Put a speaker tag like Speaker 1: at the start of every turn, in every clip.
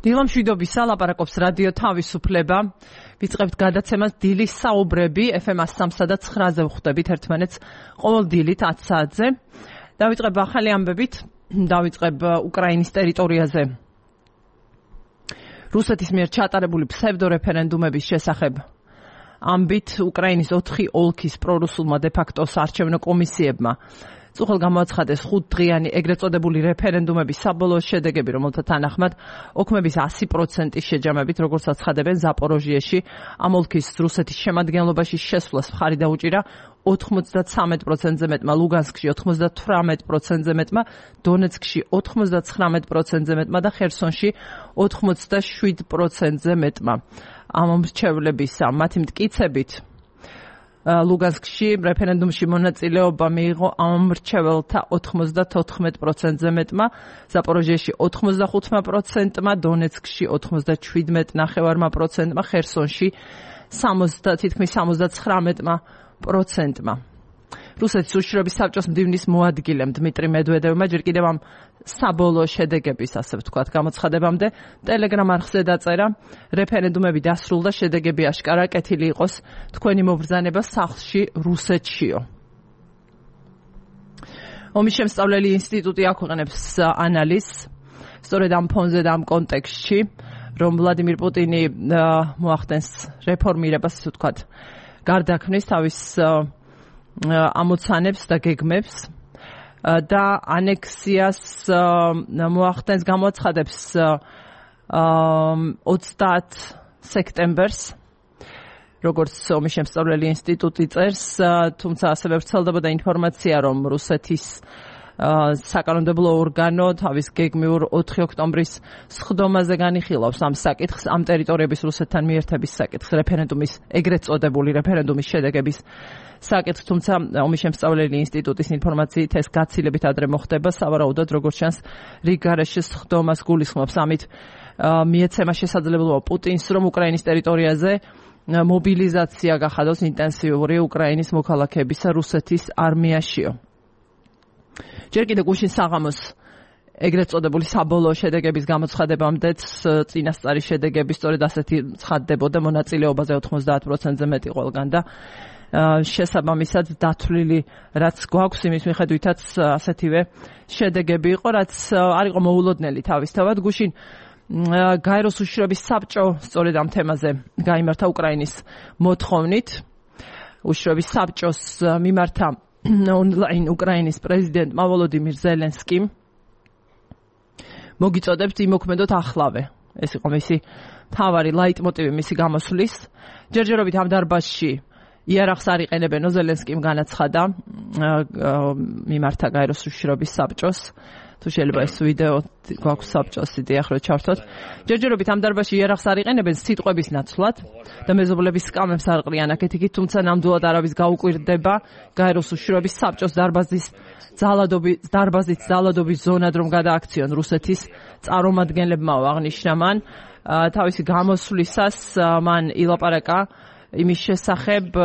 Speaker 1: დილამშვიდობის ლაპარაკობს რადიო თავისუფლება. ვიწყებთ გადაცემას დილის საუბრები FM 103 და 9-ზე ვხვდებით ერთმანეთს ყოველ დილით 10 საათზე. დავიწყებ ახალი ამბებით, დავიწყებ უკრაინის ტერიტორიაზე რუსეთის მიერ ჩატარებული ფსევდორეფერენდუმების შესახებ. ამბით უკრაინის 4 ოლქის პრორუსულმა დე-ფაქტო საარჩევნო კომისიებმა წუხელ გამოაცხადეს 5 დღიანი ეგრეთ წოდებული რეფერენდუმების საბოლოო შედეგები, რომელთა თანახმად ოქმების 100% შეჯამებით, როგორც აცხადებენ ზაპოროჟიეში, ამ ოლქის რუსეთის შემადგენლობაში შესვლას მხარი დაუჭირა 93%-ზე მეტმა, ლუგანსკში 98%-ზე მეტმა, დონეცკში 99%-ზე მეტმა და ხერსონში 87%-ზე მეტმა. ამ მრჩევლებისა მათი მტკიცებით ლუგანსკში რეფერენდუმში მონაწილეობა მიიღო ამ მრჩეველთა 94%-ზე მეტმა, ზაპოროჟიეში 85%-მა, დონეცკში 87.9%-მა, ხერსონში თითქმის 79%-მა. რუსეთის უშიშროების საბჭოს მდივნის მოადგილემ დმიტრი მედვედევმა ჯერ კიდევ ამ საბოლოო შედეგების, ასე ვთქვათ, გამოცხადებამდე ტელეგრამ არხზე დაწერა: რეფერენდუმები დასრულდა, შედეგები აშკარა, კეთილი იყოს თქვენი მობრძანება სახლში რუსეთშიო. ომის შემსწავლელი ინსტიტუტი აქვეყნებს ანალიზს სწორედ ამ ფონზე და ამ კონტექსტში, რომ ვლადიმირ პუტინი მოახდენს რეფორმირებას, ასე ვთქვათ, გარდაქმნის თავის ამოცანებს და გეგმებს და ანექსიას მოახდენს, გამოაცხადებს 30 სექტემბერს, როგორც ომის შემსწავლელი ინსტიტუტი წერს, თუმცა ასევე ვრცელდებოდა ინფორმაცია, რომ რუსეთის საკანონმდებლო ორგანო თავის გეგმიურ 4 ოქტომბრის სხდომაზე განიხილავს ამ საკითხს, ამ ტერიტორიების რუსეთთან მიერთების საკითხს, რეფერენდუმის, ეგრეთ წოდებული რეფერენდუმის შედეგების საკითხს, თუმცა ომის შემსწავლელი ინსტიტუტის ინფორმაციით ეს გაცილებით ადრე მოხდება, სავარაუდოდ, როგორც ჩანს, რიგ გარეშე სხდომას გულისხმობს. ამით მიეცემა შესაძლებლობა პუტინს, რომ უკრაინის ტერიტორიაზე მობილიზაცია გახადოს ინტენსიური უკრაინის მოქალაქეებისა რუსეთის არმიაშიო. ჯერ კიდევ გუშინ საღამოს ეგრეთ წოდებული საბოლოო შედეგების გამოცხადებამდეც წინასწარი შედეგები სწორედ ასეთი ცხადდებოდა, მონაწილეობაზე 90%-ზე მეტი ყველგან და შესაბამისად დათვლილი რაც გვაქვს, იმის მიხედვითაც ასეთივე შედეგები იყო, რაც არ იყო მოულოდნელი თავისთავად. გუშინ გაეროს უშიშროების საბჭო სწორედ ამ თემაზე გაიმართა უკრაინის მოთხოვნით. უშიშროების საბჭოს მიმართა ონლაინ უკრაინის პრეზიდენტმა ვოლოდიმირ ზელენსკიმ მოგიწოდებთ იმოქმედოთ ახლავე. ეს იყო მისი მთავარი ლაიტმოტივი მისი გამოსვლის. ჯერჯერობით ამ დარბაზში იარაღს არ იყენებენო, ზელენსკიმ განაცხადა მიმართა გაეროს უშიშროების საბჭოს. თუ შეიძლება ეს ვიდეო გვაქვს საბჭოს იდეა ხო ჩართოთ. ჯერჯერობით ამ დარბაზში იარაღს არ იყენებენ სიტყვების ნაცვლად და მეზობლების სკამებს არ ყრიან აქეთ-იქით, თუმცა ნამდვილად არავის გაუკვირდება გაეროს უშიშროების საბჭოს დარბაზით ძალადობის ზონად რომ გადააქციონ რუსეთის წარმომადგენლებმაო, აღნიშნა მან. თავისი გამოსვლისას მან ილაპარაკა იმის შესახებ,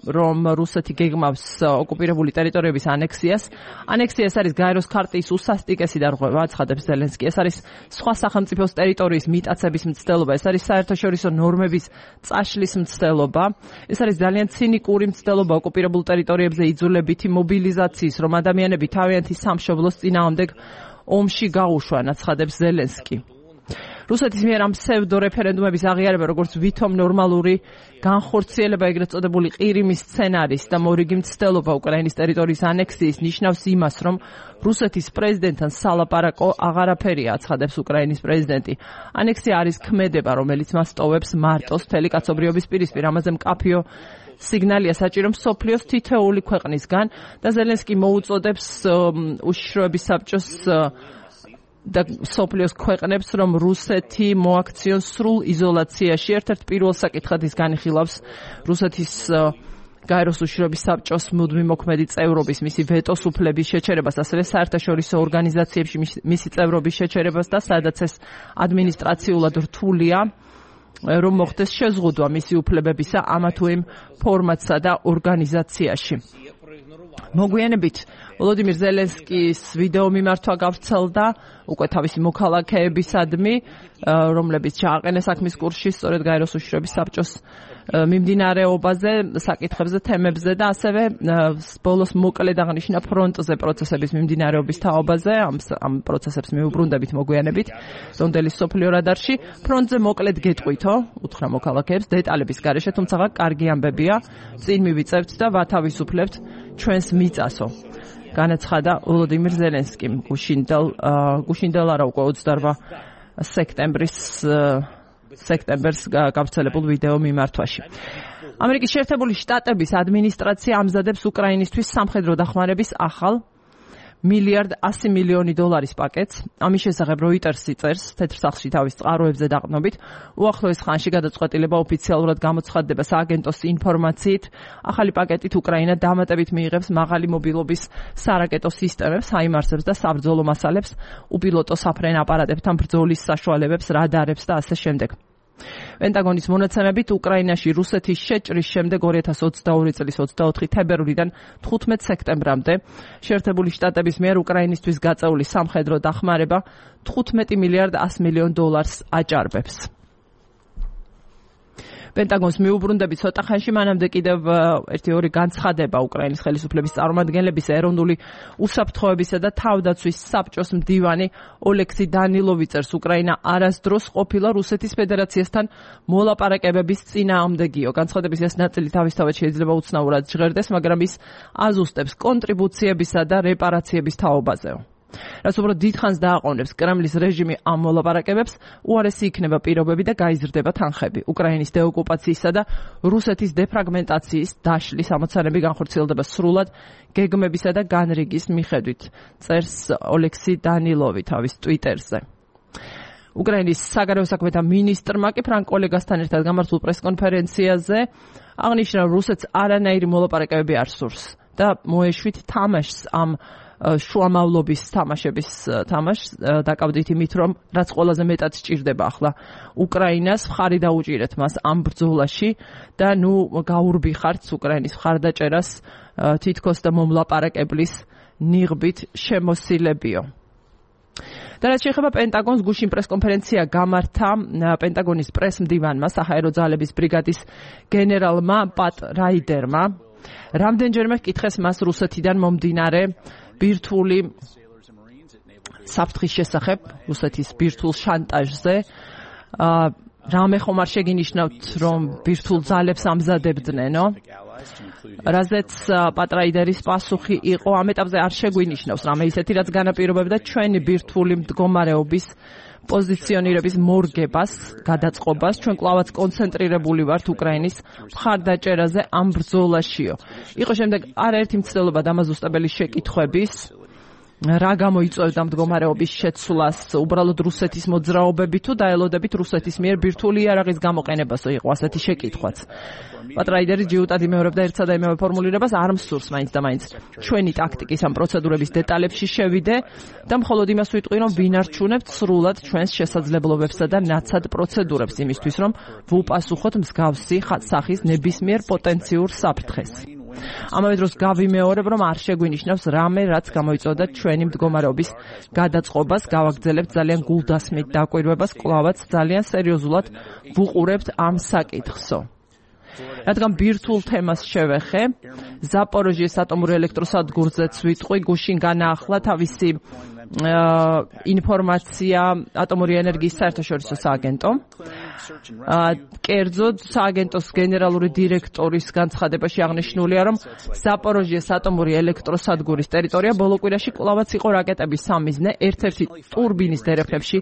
Speaker 1: რომ რუსეთი გეგმავს ოკუპირებული ტერიტორიების ანექსიას. ანექსია ეს არის გაეროს ქარტიის უსასტიკესი დარღვევა, აცხადებს ზელენსკი. ეს არის სხვა სახელმწიფოს ტერიტორიის მიტაცების მცდელობა, ეს არის საერთაშორისო ნორმების წაშლის მცდელობა. ეს არის ძალიან ცინიკური მცდელობა ოკუპირებულ ტერიტორიებზე იძულებითი მობილიზაციის, რომ ადამიანები თავიანთი სამშობლოს წინააღმდეგ ომში გაუშვან, აცხადებს ზელენსკი. რუსეთის მიერ ამ ფსევდორეფერენდუმების აღიარება, როგორც ვითომ ნორმალური განხორციელება ეგრეთ წოდებული ყირიმის სცენარის და მორიგი მცდელობა უკრაინის ტერიტორიის ანექსიის, ნიშნავს იმას, რომ რუსეთის პრეზიდენტთან სალაპარაკო აღარაფერია, აცხადებს უკრაინის პრეზიდენტი. ანექსია არის ქმედება, რომელიც მას ტოვებს მარტოს მთელი კაცობრიობის პირისპირ. ამაზე მკაფიო სიგნალია საჭირო მსოფლიოს თითოეული ქვეყნისგან და ზელენსკი მოუწოდებს უშიშროების საბჭოს და სოფლიოს ქვეყნებს, რომ რუსეთი მოაქციონ სრულ იზოლაციაში. ერთ-ერთ პირველ საკითხად ის განიხილავს რუსეთის გაეროს უშიშროების საბჭოს მუდმივი მოქმედი წევრობის, მისი ვეტოს უფლების შეჩერებას, ასევე საერთაშორისო ორგანიზაციებში მისი წევრობის შეჩერებას და სადაც ეს ადმინისტრაციულად რთულია, რომ მოხდეს შეზღუდვა მისი უფლებებისა ამა თუ იმ ფორმატსა და ორგანიზაციაში. მოგვიანებით ვოლოდიმირ ზელენსკის ვიდეო მიმართვა გავრცელდა უკვე თავისი მოქალაქეებისადმი, რომლებიც ჩააყენეს საქმის კურსში სწორედ გაეროს უშიშროების საბჭოს მიმდინარეობაზე, საკითხებზე, თემებზე და ასევე ბოლოს მოკლედ აღნიშნა ფრონტზე პროცესების მიმდინარეობის თაობაზე, ამ პროცესებს მიუბრუნდებით მოგვიანებით ლონდონის სოფლიო რადარში. ფრონტზე მოკლედ გეტყვითო, უთხრა მოქალაქეებს დეტალების გარეშე, თუმცა კარგი ამბებია, წინ მივიწევთ და ვათავისუფლებთ ჩვენს მიწასო. განაცხადა ვოლოდიმირ ზელენსკიმ გუშინდელ არა უკვე 28 სექტემბერს გავრცელებულ ვიდეო მიმართვაში. ამერიკის შეერთებული შტატების ადმინისტრაცია ამზადებს უკრაინისთვის სამხედრო დახმარების ახალ $1.1 მილიარდ პაკეტს. ამის შესახებ როიტერსი წერს თეთრ სახლში თავის წყაროებზე დაყრდნობით. უახლოეს ხანში გადაწყვეტილება ოფიციალურად გამოცხადდება სააგენტოს ინფორმაციით. ახალი პაკეტით უკრაინა დამატებით მიიღებს მაღალი მობილობის სარაკეტო სისტემებს, საიმარსებს და საბრძოლო მასალებს, უპილოტო საფრენ აპარატებთან ბრძოლის საშუალებებს, რადარებს და ასე შემდეგ. პენტაგონის მონაცემებით უკრაინაში რუსეთის შეჭრის შემდეგ 2022 წლის 24 თებერვლიდან 15 სექტემბრამდე შეერთებული შტატების მიერ უკრაინისთვის გაწეული სამხედრო დახმარება $15.1 მილიარდ აჭარბებს. პენტაგონს მიუბრუნდებით ცოტა ხანში მანამდე კიდევ ერთი-ორი განცხადება უკრაინის ხელისუფლების წარმომადგენლების ეროვნული უსაფრთხოებისა და თავდაცვის საბჭოს მდივანი ოლექსი დანილოვი წერს, უკრაინა არასდროს ყოფილა რუსეთის ფედერაციასთან მოლაპარაკებების წინააღმდეგიო. განცხადების ეს ნაწილი თავისთავად შეიძლება უცნაურად ჟღერდეს, მაგრამ ის აზუსტებს კონტრიბუციებისა და რეპარაციების თაობაზეო. რაც უბრალოდ დიდხანს დააყოვნებს კრემლის რეჟიმი ამ მოლაპარაკებებს, უარესი იქნება პირობები და გაიზრდება თანხები. უკრაინის დეოკუპაციისა და რუსეთის დეფრაგმენტაციის დაშლის ამოცანები განხორციელდება სრულად გეგმებისა და განრიგის მიხედვით, წერს ოლექსი დანილოვი თავის ტვიტერზე. უკრაინის საგარეო საქმეთა მინისტრმა კი ფრანკ ოლეგასთან ერთად გამართულ პრესკონფერენციაზე აღნიშნა, რომ რუსეთს არანაირი მოლაპარაკებები არ სურს და მოეშვით თამაშს ამ შუამავლობის თამაშს დაკავდით იმით, რომ რაც ყველაზე მეტად სჭირდება ახლა უკრაინას, მხარი დაუჭირეთ მას ამ ბრძოლაში და გაურბიხართ უკრაინის მხარდაჭერას თითქოს და მომლაპარაკებლის ნიღბით შემოსილებიო. და რაც შეეხება პენტაგონს, გუშინ პრესკონფერენცია გამართა პენტაგონის პრესმდივანმა, საჰაერო ძალების ბრიგადის გენერალმა პატ რაიდერმა. რამდენჯერმე ჰკითხეს მას რუსეთიდან მომდინარე ბირთვული საფრთხის შესახებ, რუსეთის ბირთვულ შანტაჟზე. რამე ხომ არ შეგინიშნავთ, რომ ბირთვულ ძალებს ამზადებდნენო? რაზეც პატრაიდერის პასუხი იყო, ამ ეტაპზე არ შეგვინიშნავს რამე ისეთი, რაც განაპირობებდა ჩვენი ბირთვული მდგომარეობის პოზიციონირების მორგებას, გადაწყობას. ჩვენ კვლავაც კონცენტრირებული ვართ უკრაინის მხარდაჭერაზე ამ ბრძოლაშიო. იყო შემდეგ არაერთი მცდელობა დამაზუსტებელი შეკითხვების, რა გამოიწვევდა მდგომარეობის შეცვლას, უბრალოდ რუსეთის მოძრაობები თუ დაელოდებით რუსეთის მიერ ბირთვული იარაღის გამოყენებასო, იყო ასეთი შეკითხვაც. პატრაიდერი ჯიუტად იმეორებდა ერთსა და იმავე ფორმულირებას, არ მსურს მაინც და მაინც ჩვენი ტაქტიკის ამ პროცედურების დეტალებში შევიდე და მხოლოდ იმას ვიტყვი, რომ ვინარჩუნებთ სრულად ჩვენს შესაძლებლობებსა და ნაცად პროცედურებს იმისთვის, რომ ვუპასუხოთ მსგავსი სახის ნებისმიერ პოტენციურ საფრთხეს. ამავე დროს გავიმეორებ, რომ არ შეგვინიშნავს რამე, რაც გამოიწვევდა ჩვენი მდგომარეობის გადაწყობას, გავაგრძელებთ ძალიან გულდასმით დაკვირვებას, კვლავაც ძალიან სერიოზულად ვუყურებთ ამ საკითხსო. რადგან ბირთვულ თემას შევეხე, ზაპოროჟიეს ატომურ ელექტროსადგურზეც ვიტყვი, გუშინ განაახლა თავისი ინფორმაცია ატომური ენერგიის საერთაშორისო სააგენტომ. კერძოდ სააგენტოს გენერალური დირექტორის განცხადებაში აღნიშნულია, რომ ზაპოროჟიეს ატომური ელექტროსადგურის ტერიტორია ბოლო კვირაში კვლავაც იყო რაკეტების სამიზნე, ერთ-ერთი ტურბინის დერეფლებში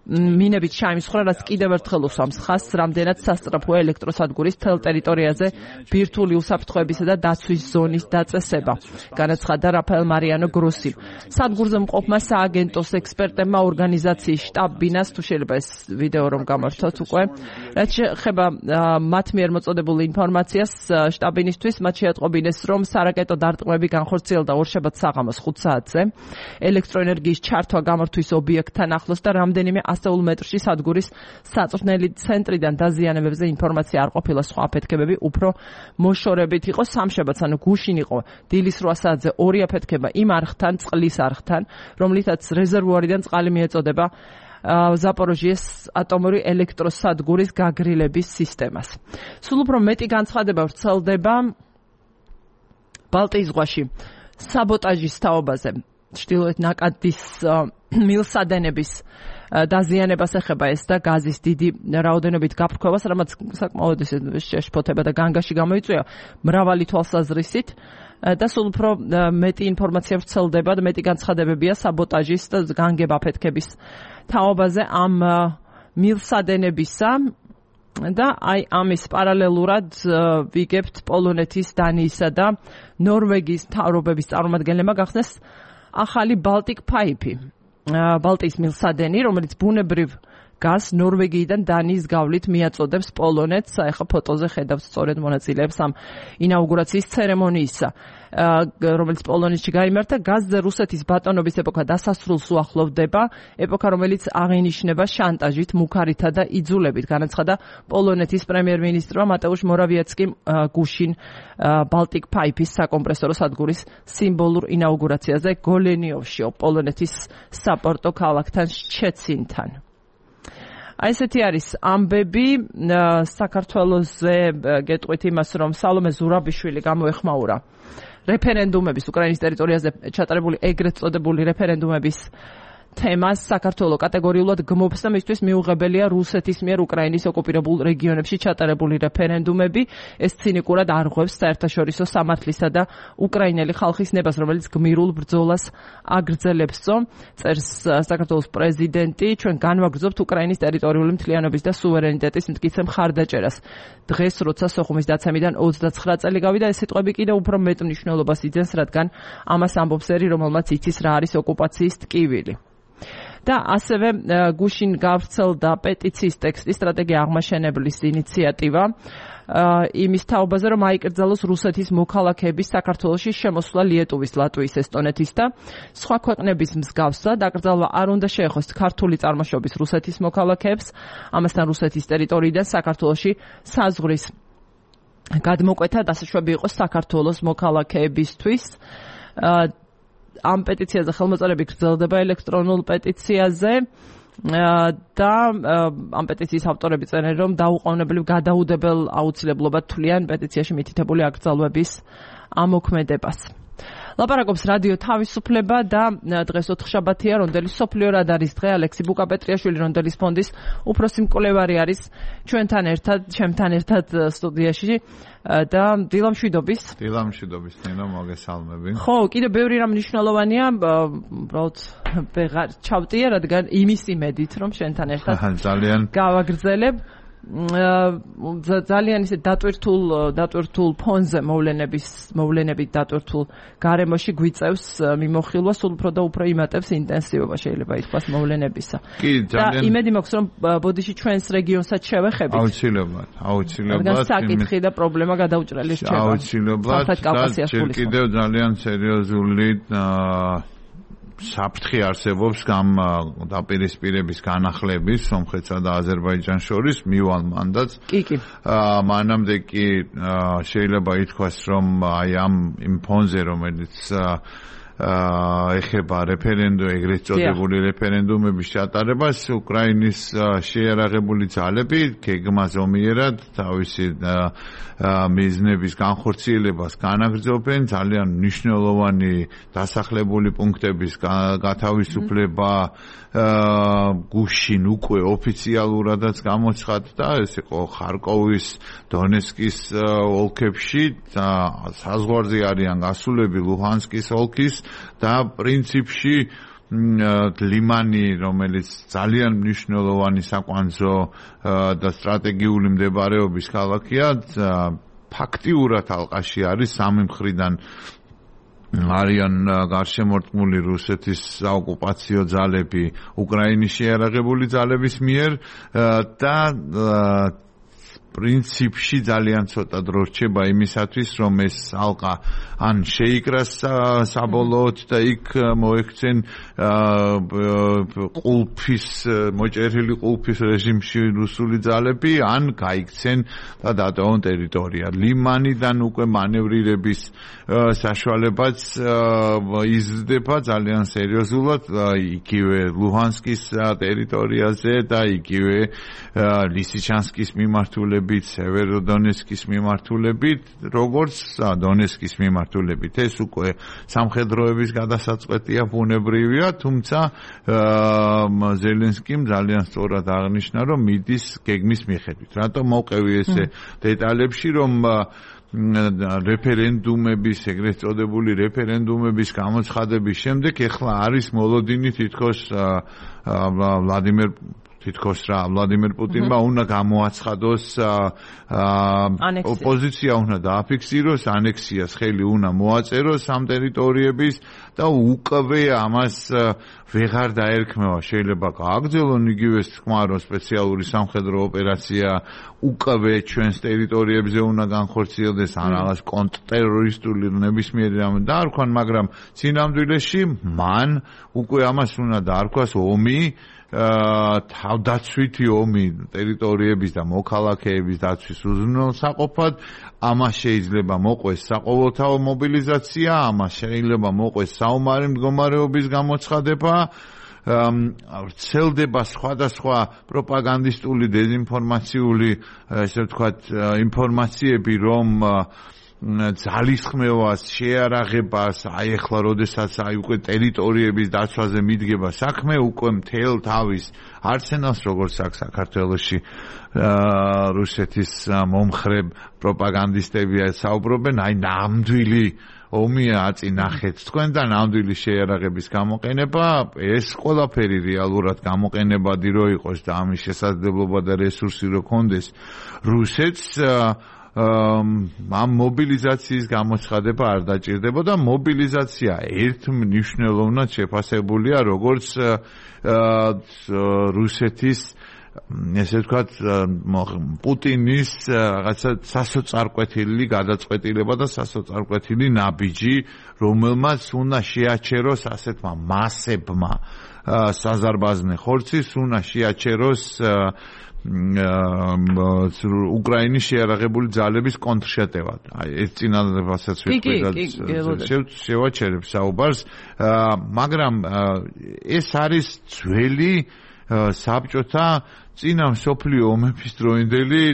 Speaker 1: მინებით ჩაიმსხვრა, რაც კიდევ ერთხელ უსვამს ხაზს, რამდენად სასწრაფოა ელექტროსადგურის თელ ტერიტორიაზე ბირთვული უსაფრთხოებისა და დაცვის ზონის დაწესება, განაცხადა რაფაელ მარიანო გროსი. სადგურზე მყოფმა სააგენტოს ექსპერტებმა ორგანიზაციის შტაბ-ბინას, თუ შეიძლება ეს ვიდეო რომ გამართოთ უკვე, რაც შეეხება მათ მიერ მოწოდებულ ინფორმაციას შტაბ-ბინისთვის, მათ შეატყობინეს, რომ სარაკეტო დარტყმები განხორციელდა ორშაბათს საღამოს 5 საათზე ელექტროენერგიის ჩართვა გამართვის ობიექტთან ახლოს და რამდენიმე ასეულ მეტრში სადგურის საწვრთნელი ცენტრიდან დაზიანებებზე ინფორმაცია არ ყოფილა, სხვა აფეთქებები უფრო მოშორებით იყო. სამშაბათს, ანუ გუშინ იყო დილის 8 საათზე ორი აფეთქება იმ არხთან, წყლის არხთან, რომლითაც რეზერვუარიდან წყალი მიეწოდება ზაპოროჟიეს ატომური ელექტროსადგურის გაგრილების სისტემას. სულ უფრო მეტი განცხადება ვრცელდება ბალტიის ზღვაში საბოტაჟის თაობაზე. ჩრდილოეთ ნაკადის მილსადენების დაზიანებას ეხება ეს და გაზის დიდი რაოდენობით გაფრქვევას, რამაც საკმაოდ შეშფოთება და განგაში გამოიწვია მრავალი თვალსაზრისით და სულ უფრო მეტი ინფორმაცია ვრცელდება და მეტი განცხადებებია საბოტაჟის და განგებ აფეთქების თაობაზე ამ მილსადენებისა და აი ამის პარალელურად ვიგებთ პოლონეთის, დანიისა და ნორვეგიის მთავრობების წარმომადგენლებმა გახსნეს ახალი Baltic Pipe, ბალტიის მილსადენი, რომელიც ბუნებრივ გაზს ნორვეგიიდან დანიის გავლით მიაწოდებს პოლონეთს. ახლა ფოტოზე ხედავთ სწორედ მონაწილეებს ამ ინაუგურაციის ცერემონიისა, რომელიც პოლონეთში გაიმართა. გაზზე რუსეთის ბატონობის ეპოქა დასასრულს უახლოვდება, ეპოქა, რომელიც აღინიშნება შანტაჟით, მუქარითა და იძულებით, განაცხადა პოლონეთის პრემიერ-მინისტრმა მატეუშ მორავიეცკიმ გუშინ Baltic Pipe-ის საკომპრესორო სადგურის სიმბოლურ ინაუგურაციაზე გოლენიოვში, პოლონეთის საპორტო ქალაქთან შჩეცინთან. აი ესეთი არის ამბები საქართველოზე გეტყვით იმას, რომ სალომე ზურაბიშვილი გამოეხმაურა რეფერენდუმების უკრაინის ტერიტორიაზე ჩატარებული ეგრეთ წოდებული რეფერენდუმების თემას. საქართველო კატეგორიულად გმობს და მისთვის მიუღებელია რუსეთის მიერ უკრაინის ოკუპირებულ რეგიონებში ჩატარებული რეფერენდუმები. ეს ცინიკურად არღვევს საერთაშორისო სამართლისა და უკრაინელი ხალხის ნებას, რომელიც გმირულ ბრძოლას აგრძელებს. წერს საქართველოს პრეზიდენტი, ჩვენ განვაგრძობთ უკრაინის ტერიტორიული მთლიანობის და სუვერენიტეტის მტკიცე მხარდაჭერას. დღეს, როცა სოხუმის დაცემიდან 29 წელი გავიდა, ეს სიტყვები კიდევ უფრო მეტ მნიშვნელობას იძენს, რადგან ამას ამბობს ერი, რომელმაც იცის რა არის ოკუპაციის ტკივილი. და ასევე გუშინ გავრცელდა პეტიციის ტექსტი სტრატეგია აღმაშენებლის ინიციატივა იმის თაობაზე, რომ აიკრძალოს რუსეთის მოქალაქეების საქართველოში შემოსვლა ლიეტუვის, ლატვიის, ესტონეთის და სხვა ქვეყნების მსგავსად. აკრძალვა არ უნდა შეეხოს ქართული წარმოშობის რუსეთის მოქალაქეებს, ამასთან რუსეთის ტერიტორიიდან საქართველოში საზღვრის გადმოკვეთა დასაშვები იყოს საქართველოს მოქალაქეებისთვის. ამ პეტიციაზე ხელმოწერები გრძელდება ელექტრონულ პეტიციაზე და ამ პეტიციის ავტორები წერენ, რომ დაუყოვნებლივ გადაუდებელ აუცილებლობად თვლიან პეტიციაში მითითებული აკრძალვების ამოქმედებას. ლაპარაკობს რადიო თავისუფლება და დღეს ოთხშაბათია, რონდელის სოფლიო რადარის დღე. ალექსი ბუკაპეტრიაშვილი, რონდელის ფონდის უფროსი მკვლევარი არის ჩემთან ერთად სტუდიაში და დილამშვიდობის.
Speaker 2: დილამშვიდობის, ნინო, მოგესალმები.
Speaker 1: ხო, კიდევ ბევრი რამ მნიშვნელოვანია, უბრალოდ ვეღარ ჩავტია, რადგან იმის იმედით, რომ შენთან ერთად
Speaker 2: ძალიან
Speaker 1: გავაგრძელებ. ძალიან ისე დატვირთულ ფონზე მოვლენებით დატვირთულ გარემოში გვიწევს მიმოხილვა, სულ უფრო და უფრო იმატებს ინტენსივობა, შეიძლება ითქვას, მოვლენებისა. და იმედი მაქვს, რომ ბოდიში ჩვენს რეგიონსაც შევეხებით.
Speaker 2: აუცილებლად.
Speaker 1: საკითხი და პრობლემა გადაუჭრელი რჩება.
Speaker 2: აუცილებლად. და კიდევ ძალიან სერიოზული საფრთხე არსებობს დაპირისპირების განახლების სომხეთსა და აზერბაიჯანს შორის მივალ მანდატს.
Speaker 1: კი.
Speaker 2: მანამდე კი შეიძლება ითქვას, რომ აი იმ ფონზე, რომელიც ეხება ეგრეთ წოდებული რეფერენდუმების ჩატარებას, უკრაინის შეიარაღებული ძალები გეგმას ომიერად თავისი მიზნების განხორციელებას განაგრძობენ. ძალიან მნიშვნელოვანი დასახლებული პუნქტების გათავისუფლება გუშინ უკვე ოფიციალურადაც გამოცხადდა. ეს იყო ხარკოვის, დონეცკის ოლქებში, საზღვარზე არიან გასულები ლუჰანსკის ოლქის და პრინციპში ლიმანი, რომელიც ძალიან მნიშვნელოვანი საკვანძო და სტრატეგიული მდებარეობის ქალაქია, ფაქტიურად ალყაში არის. სამი მხრიდან არიან გარშემორტყმული რუსეთის საოკუპაციო ძალები უკრაინის შეიარაღებული ძალების მიერ და პრინციპში ძალიან ცოტა დრო რჩება იმისათვის, რომ ეს ალყა ან შეიკრას საბოლოოდ და იქ მოექცენ ყულფის მოჭერილი ყულფის რეჟიმში რუსული ძალები, ან გაიქცენ და დატოვონ ტერიტორია. ლიმანიდან უკვე მანევრირების საშუალებაც იზრდება ძალიან სერიოზულად, იგივე ლუჰანსკის ტერიტორიაზე და იგივე ლისიჩანსკის მიმართულებით, სევეროდონეცკის მიმართულებით, როგორც დონეცკის მიმართულებით. ეს უკვე სამხედროების გადასაწყვეტია, ბუნებრივია, თუმცა ზელენსკიმ ძალიან სწორად აღნიშნა, რომ მიდის გეგმის მიხედვით. რატომ მოვყევი ესე დეტალებში, რომ რეფერენდუმების, ეგრეთ წოდებული რეფერენდუმების გამოცხადების შემდეგ ეხლა არის მოლოდინი თითქოს ვლადიმერ პუტინმა უნდა გამოაცხადოს ოპოზიცია უნდა დააფიქსიროს, ანექსიას ხელი უნდა მოაწეროს ამ ტერიტორიების და უკვე ამას ვეღარ დაერქმევა. შეიძლება გააგრძელონ იგივე თქმა, რომ სპეციალური სამხედრო ოპერაცია უკვე ჩვენს ტერიტორიებზე უნდა განხორციელდეს, ან რაღაც კონტრტერორისტული ნებისმიერი რამე დაარქვან, მაგრამ სინამდვილეში მან უკვე ამას უნდა დაარქვას ომი, თავდაცვითი ომი ტერიტორიების და მოქალაქეების დაცვის უზრუნველსაყოფად. ამას შეიძლება მოყვეს საყოველთაო მობილიზაცია, ამას შეიძლება მოყვეს საომარი მდგომარეობის გამოცხადება, ვრცელდება სხვადასხვა პროპაგანდისტული დეზინფორმაციული, ესე ვთქვათ, ინფორმაციები, რომ ძალისხმევას, შეარაღებას, აი ახლა როდესაც უკვე ტერიტორიების დაცვაზე მიდგება საქმე, უკვე მთელ თავის არსენალს, როგორც აქვს საქართველოში რუსეთის მომხრე პროპაგანდისტები საუბრობენ, აი ნამდვილი ომია აწინახეთ თქვენ და ნამდვილი შეარაღების გამოყენება, ეს ყველაფერი რეალურად გამოყენებადი რო იყოს და ამის შესაძლებლობა და რესურსი რო ქონდეს რუსეთს, ამ მობილიზაციის გამოცხადება არ დაჭირდება და მობილიზაცია ერთმნიშვნელოვნად შეფასებულია როგორც რუსეთის, ესე ვთქვათ, პუტინის რაღაცა სასოწარკვეთილი გადაწყვეტილება და სასოწარკვეთილი ნაბიჯი, რომელმაც უნდა შეაჩეროს ასეთმა მასებმა საზარბაზნე ხორცის, უნდა შეაჩეროს უკრაინის შეარაღებული ძალების კონტრშეტევა. აი ეს წინადადებასაც შევაჩერებ საუბარს, მაგრამ ეს არის ძველი საბჭოთა წინა მსოფლიო ომების დროინდელი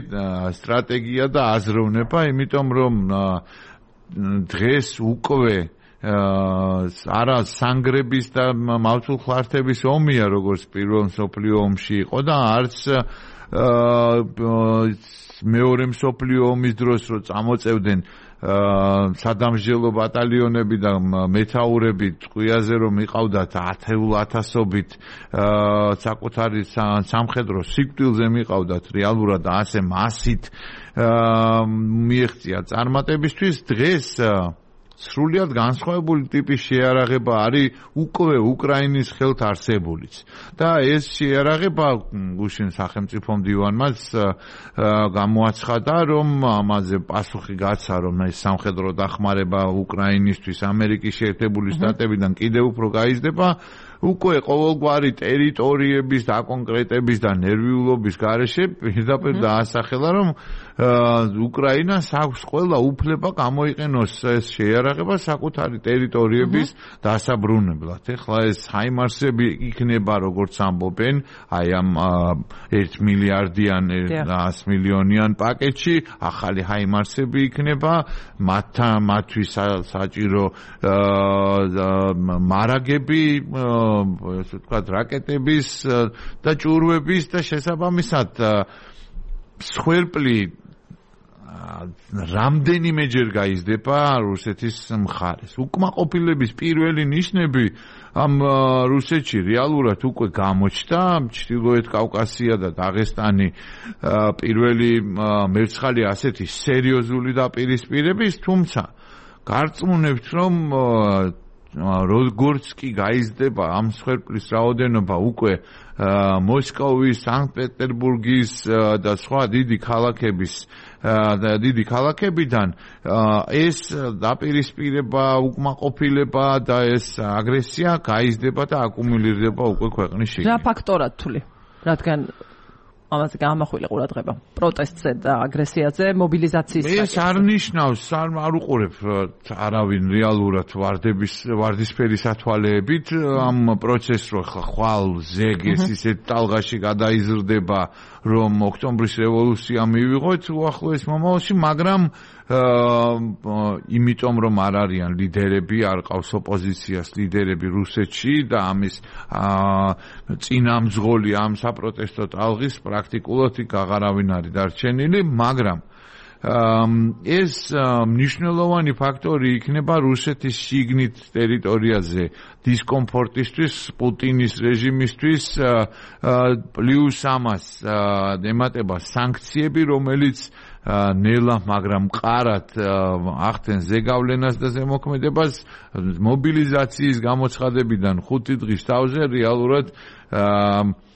Speaker 2: სტრატეგია და აზროვნება, იმიტომ რომ დღეს უკვე არა სანგრების და მავთულხლართების ომია, როგორც პირველ მსოფლიო ომში იყო და არც მეორე მსოფლიო ომის დროს რო წამოწევდნენ სადამსჯელო ბატალიონები და მეთაურები ტყვიაზე რომ იყავდათ 10,000-ობით საკუთარი სამხედრო სიკვდილზე მიყავდათ რეალურად და ასე მასით მიეღწია წარმატებისთვის, დღეს სრულიად განსხვავებული ტიპის შეარაღება არის უკვე უკრაინის ხელთ არსებულიც. და ეს შეარაღება გუშინ სახელმწიფო მდივანმაც გამოაცხადა, რომ ამაზე პასუხი გაცა, რომ ეს სამხედრო დახმარება უკრაინისთვის ამერიკის შეერთებული შტატებიდან კიდევ უფრო გაიზრდება, უკვე ყოველგვარი ტერიტორიების დაკონკრეტების და ნერვიულობის გარეშე პირდაპირ დაასახელა, რომ უკრაინას აქვს ყველა უფლება გამოიყენოს ეს შეარაღება საკუთარი ტერიტორიების დასაბრუნებლად. ეხლა ეს ჰაიმარსები იქნება, როგორც ამბობენ, აი ამ 1 მილიარდიან 100 მილიონიან პაკეტში ახალი ჰაიმარსები იქნება, მათთვის საჭირო მარაგები, ესე ვთქვათ, რაკეტების და ჭურვების და შესაბამისად მსხვერპლი რამდენიმეჯერ გაიზრდება რუსეთის მხარეს. უკმაყოფილების პირველი ნიშნები ამ რუსეთში რეალურად უკვე გამოჩნდა, ჩრდილოეთ კავკასია და დაღესტანი პირველი მერცხალი ასეთი სერიოზული დაპირისპირების, თუმცა გარწმუნებთ, რომ როგორც კი გაიზრდება ამ მსხვერპლის რაოდენობა უკვე მოსკოვის, სანქტ-პეტერბურგის და სხვა დიდი ქალაქებიდან ეს დაპირისპირება, უკმაყოფილება და ეს აგრესია გაიზრდება და აკუმულირდება უკვე ქვეყნის შიგნით.
Speaker 1: რა ფაქტორად თვლი? რადგან ამაზე გამახვილა ყურადღება პროტესტზე და აგრესიაზე, მობილიზაციის
Speaker 2: ეს არ ნიშნავს, არ უყურებ არავინ რეალურად ვარდისფერი სათვალეებით ამ პროცესს, რომ ხვალ ზეგეს ისეთ ტალღაში გადაიზრდება, რომ ოქტომბრის რევოლუცია მივიღოთ უახლოეს მომავალში, მაგრამ იმიტომ რომ არ არიან ლიდერები, არ ყავს ოპოზიციას ლიდერები რუსეთში და ამის წინამძღოლი ამ საპროტესტო ტალღის პრაქტიკულად აღარავინ არის დარჩენილი, მაგრამ ეს მნიშვნელოვანი ფაქტორი იქნება რუსეთის შიგნით ტერიტორიაზე დისკომფორტისთვის, პუტინის რეჟიმისთვის, პლუს ამას ემატება სანქციები, რომელიც ნელა, მაგრამ მყარად ახდენს ზეგავლენას და ზემოქმედებას მობილიზაციის გამოცხადებიდან 5 დღის თავზე რეალურად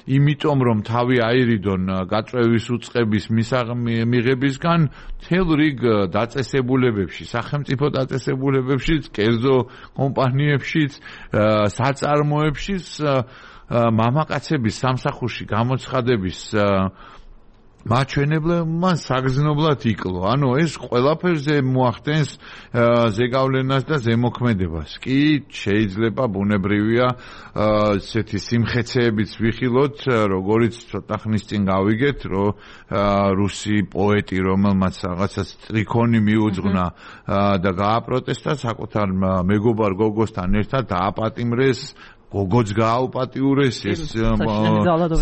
Speaker 2: იმიტომ რომ თავი აირიდონ გაწვევის უწყების მიღებისგან მთელ რიგ დაწესებულებებში, სახელმწიფო დაწესებულებებშიც, კერძო კომპანიებშიც, საწარმოებშიც მამაკაცების სამსახურში გამოცხადების მაჩვენებლებმა საგრძნობლად იკლო. ანუ ეს ყველაფერზე მოახდენს ზეგავლენას და ზემოქმედებას. კი, შეიძლება ბუნებრივია ესეთი სიმხეცეებიც ვიხილოთ, როგორიც ცოტა ხნის წინ გავიგეთ, რომ რუსი პოეტი, რომელმაც რაღაცა სტრიქონი მიუძღვნა და გააპროტესტა საკუთარ მეგობარ გოგოსთან ერთად დააპატიმრეს გოგოც გააუპატიურეს ეს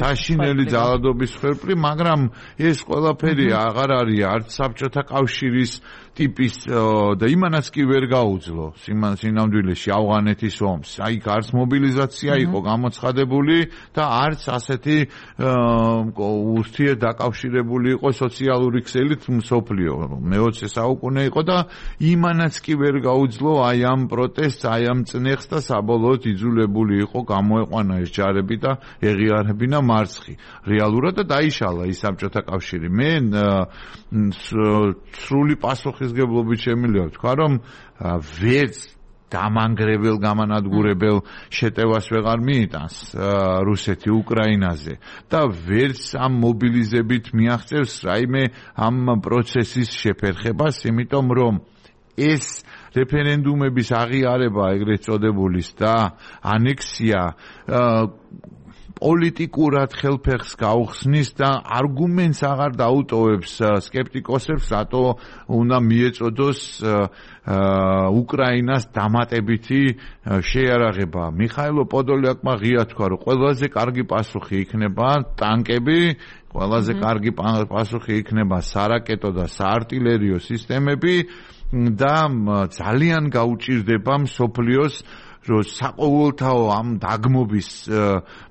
Speaker 2: საშინელი ძალადობის მსხვერპლი, მაგრამ ეს ყველაფერი აღარ არის არც საბჭოთა კავშირის ტიპის და იმანაც კი ვერ გაუძლო სინამდვილეში ავღანეთის ომს. აი არც მობილიზაცია იყო გამოცხადებული და არც ასეთი ურთიერთდაკავშირებული იყო სოციალური ქსელით მსოფლიო. მე-20 საუკუნე იყო და იმანაც კი ვერ გაუძლო აი ამ პროტესტს, აი ამ წნეხს და საბოლოოდ იძულებული იყო გამოეყვანა ეს ჯარები და ეღიარებინა მარცხი. რეალურად და დაიშალა ის საბჭოთა კავშირი. მე სრული პასუხისგებლობით შემიძლია ვთქვა, რომ ვერც დამანგრებელ გამანადგურებელ შეტევას ვეღარ მიიტანს რუსეთი უკრაინაზე და ვერც ამ მობილიზებით მიაღწევს რაიმე ამ პროცესის შეფერხებას, იმიტომ რომ ეს რეფერენდუმების აღიარება ეგრეთ წოდებულის და ანექსია პოლიტიკურად ხელფეხს გაუხსნის და არგუმენტს აღარ დაუტოვებს სკეპტიკოსებს, რატო უნდა მიეწოდოს უკრაინას დამატებითი შეიარაღება. მიხაილო პოდოლიაკმა ღია თქვა, რომ ყველაზე კარგი პასუხი იქნება ტანკები, ყველაზე კარგი პასუხი იქნება სარაკეტო და საარტილერიო სისტემები და ძალიან გაუჭირდება მსოფლიოს რომ საყოველთაო ამ დაგმობის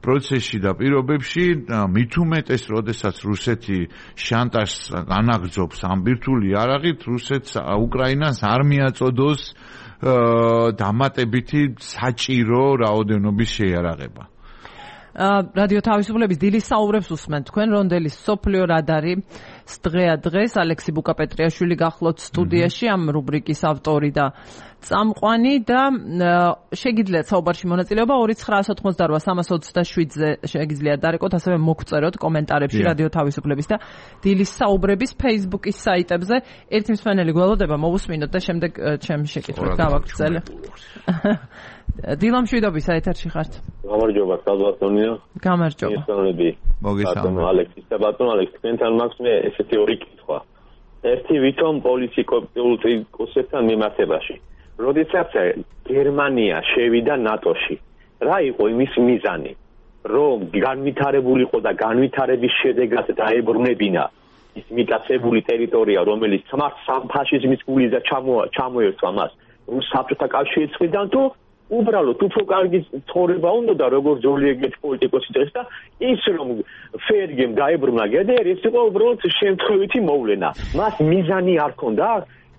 Speaker 2: პროცესში და პირობებში მით უმეტეს, როდესაც რუსეთი შანტაჟს განაგრძობს ამ ბირთვული იარაღით, რუსეთს უკრაინას არ მიაწოდოს დამატებითი საჭირო რაოდენობის შეიარაღება.
Speaker 1: რადიო თავისუფლების დილის საუბრებს უსმენთ თქვენ რონდელის სოფლიო რადარი დღეა დღეს ალექსი ბუკაპეტრიაშვილი გახლოთ სტუდიაში ამ რუბრიკის ავტორი და წამყვანი და შეგიძლიათ საუბარში მონაწილეობა 2988-327-ზე შეგიძლიათ დარეკოთ, ასევე მოგწეროთ კომენტარებში რადიო თავისუფლების და დილის საუბრების Facebook-ის საიტებზე. ერთი მსმენელი გველოდება მოვუსმინოთ და შემდეგ ჩემს შეკითხვას გავაგრძელე. დილამშვიდობის ეთერში ხართ.
Speaker 3: გამარჯობა, კალბატონია.
Speaker 1: გამარჯობა.
Speaker 3: მოგესალმები.
Speaker 2: მოგესალმები.
Speaker 3: ალექსის და ბატონ ალექს, თქვენთან მაქვს მე ესეთი ორი კითხვა. ერთი ვითომ პოლიტიკოსებთან მიმართებაში. როდესაც გერმანია შევიდა ნატოში, რა იყო იმის მიზანი? რომ განვითარებულიყო და განვითარების შედეგად დაებრუნებინა ის მიტაცებული ტერიტორია, რომელიც ფაშიზმის გულით ჩამოერთვა მას საბჭოთა კავშირის მხრიდან, თუ უბრალოდ უფრო კარგი ცხოვრება უნდა და როგორც ზოლიეგეთ პოლიტიკოსი წეს და ის რომ ფერგემ დაებრუნა გედერი, ეს იყო უბრალოდ შემთხვევითი მოვლენა. მას მიზანი არ ჰქონდა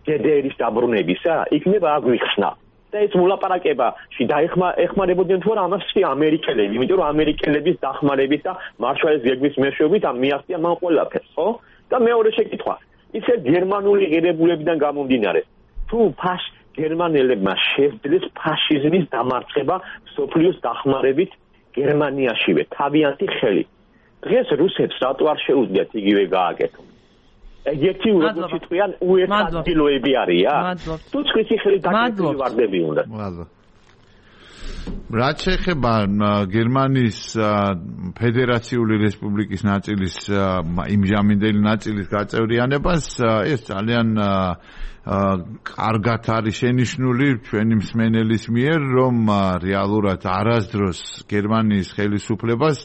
Speaker 3: გედერის დაბრუნებისა, იქნება აგვიხსნა. და ეს მოლაპარაკებაში დაეხმარებოდნენ თუ არა ამას ამერიკელები, იმიტომ რომ ამერიკელების დახმარებით და მარშალის გეგმის მეშვეობით მიაღწია მან ყველაფერს, ხო? და მეორე შეკითხვა, ისე გერმანული ღირებულებიდან გამომდინარე, თუ გერმანელებმა შეძლეს ფაშიზმის დამარცხება მსოფლიოს დახმარებით გერმანიაშივე, თავიანთი ხელით. დღეს რუსებს რატო არ შეუძლიათ იგივე გააკეთონ? ეგეთი როგორც თქვენ უერთადგილოები არია? თუ ცხვირი ხელი დაკეთებული ვარდები უნდა.
Speaker 2: რაც შეეხება გერმანიის ფედერაციული რესპუბლიკის ნაწილის იმჟამინდელი ნაწილის გაწევრიანებას, ეს ძალიან კარგად არის შენიშნული ჩვენი მსმენელის მიერ, რომ რეალურად არასდროს გერმანიის ხელისუფლებას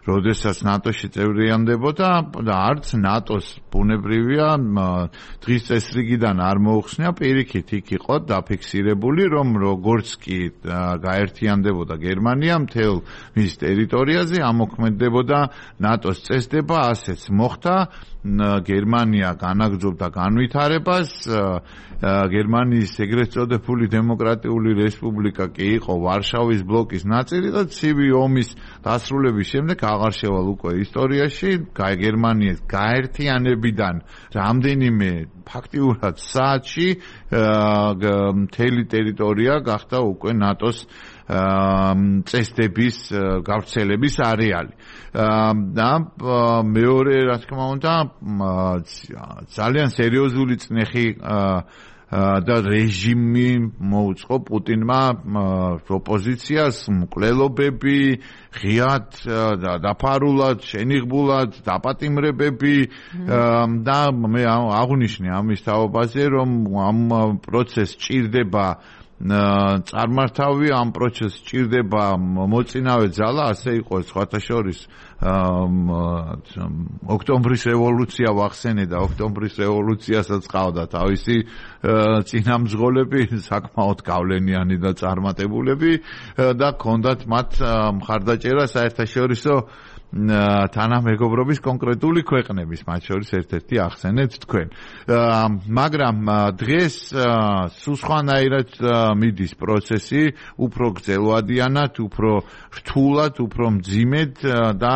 Speaker 2: როდესაც ნატოში წევრიანდებოდა და არც ნატოს ბუნებრივია დღის წესრიგიდან არ მოუხსნია, პირიქით იქ იყო დაფიქსირებული, რომ როგორც კი გაერთიანდებოდა გერმანია მთელ მის ტერიტორიაზე ამოქმედებოდა ნატოს წესდება, ასეც მოხდა. გერმანია განაგრძობდა განვითარებას, გერმანიის ეგრეთ წოდებული დემოკრატიული რესპუბლიკა კი იყო ვარშავის ბლოკის ნაწილი და ცივი ომის დასრულების შემდეგ აღარ შევალ უკვე ისტორიაში, გერმანიის გაერთიანებიდან რამდენიმე ფაქტიურად საათში მთელი ტერიტორია გახდა უკვე ნატოს წესდების გავრცელების არეალი. და მეორე რა თქმა უნდა ძალიან სერიოზული წნეხი და რეჟიმი მოუწყო პუტინმა ოპოზიციას, მკვლელობები, ღიად და დაფარულად, შენიღბულად, დაპატიმრებები და მე აღვნიშნე ამის თაობაზე, რომ ამ პროცესს ჭირდება წარმართავი, ამ პროცესს ჭირდება მოწინავე ძალა, ასე იყო სხვათა შორის ოქტომბრის რევოლუცია ვახსენე და ოქტომბრის რევოლუციასაც ყავდა თავისი წინამძღოლები, საკმაოდ გავლენიანი და წარმატებულები და ჰქონდათ მათ მხარდაჭერა საერთაშორისო თანამეგობრობის კონკრეტული ქვეყნების, მათ შორის ერთ-ერთი ახსენეთ თქვენ. მაგრამ დღეს სულ სხვანაირად მიდის პროცესი, უფრო გრძელვადიანად, უფრო რთულად, უფრო მძიმედ და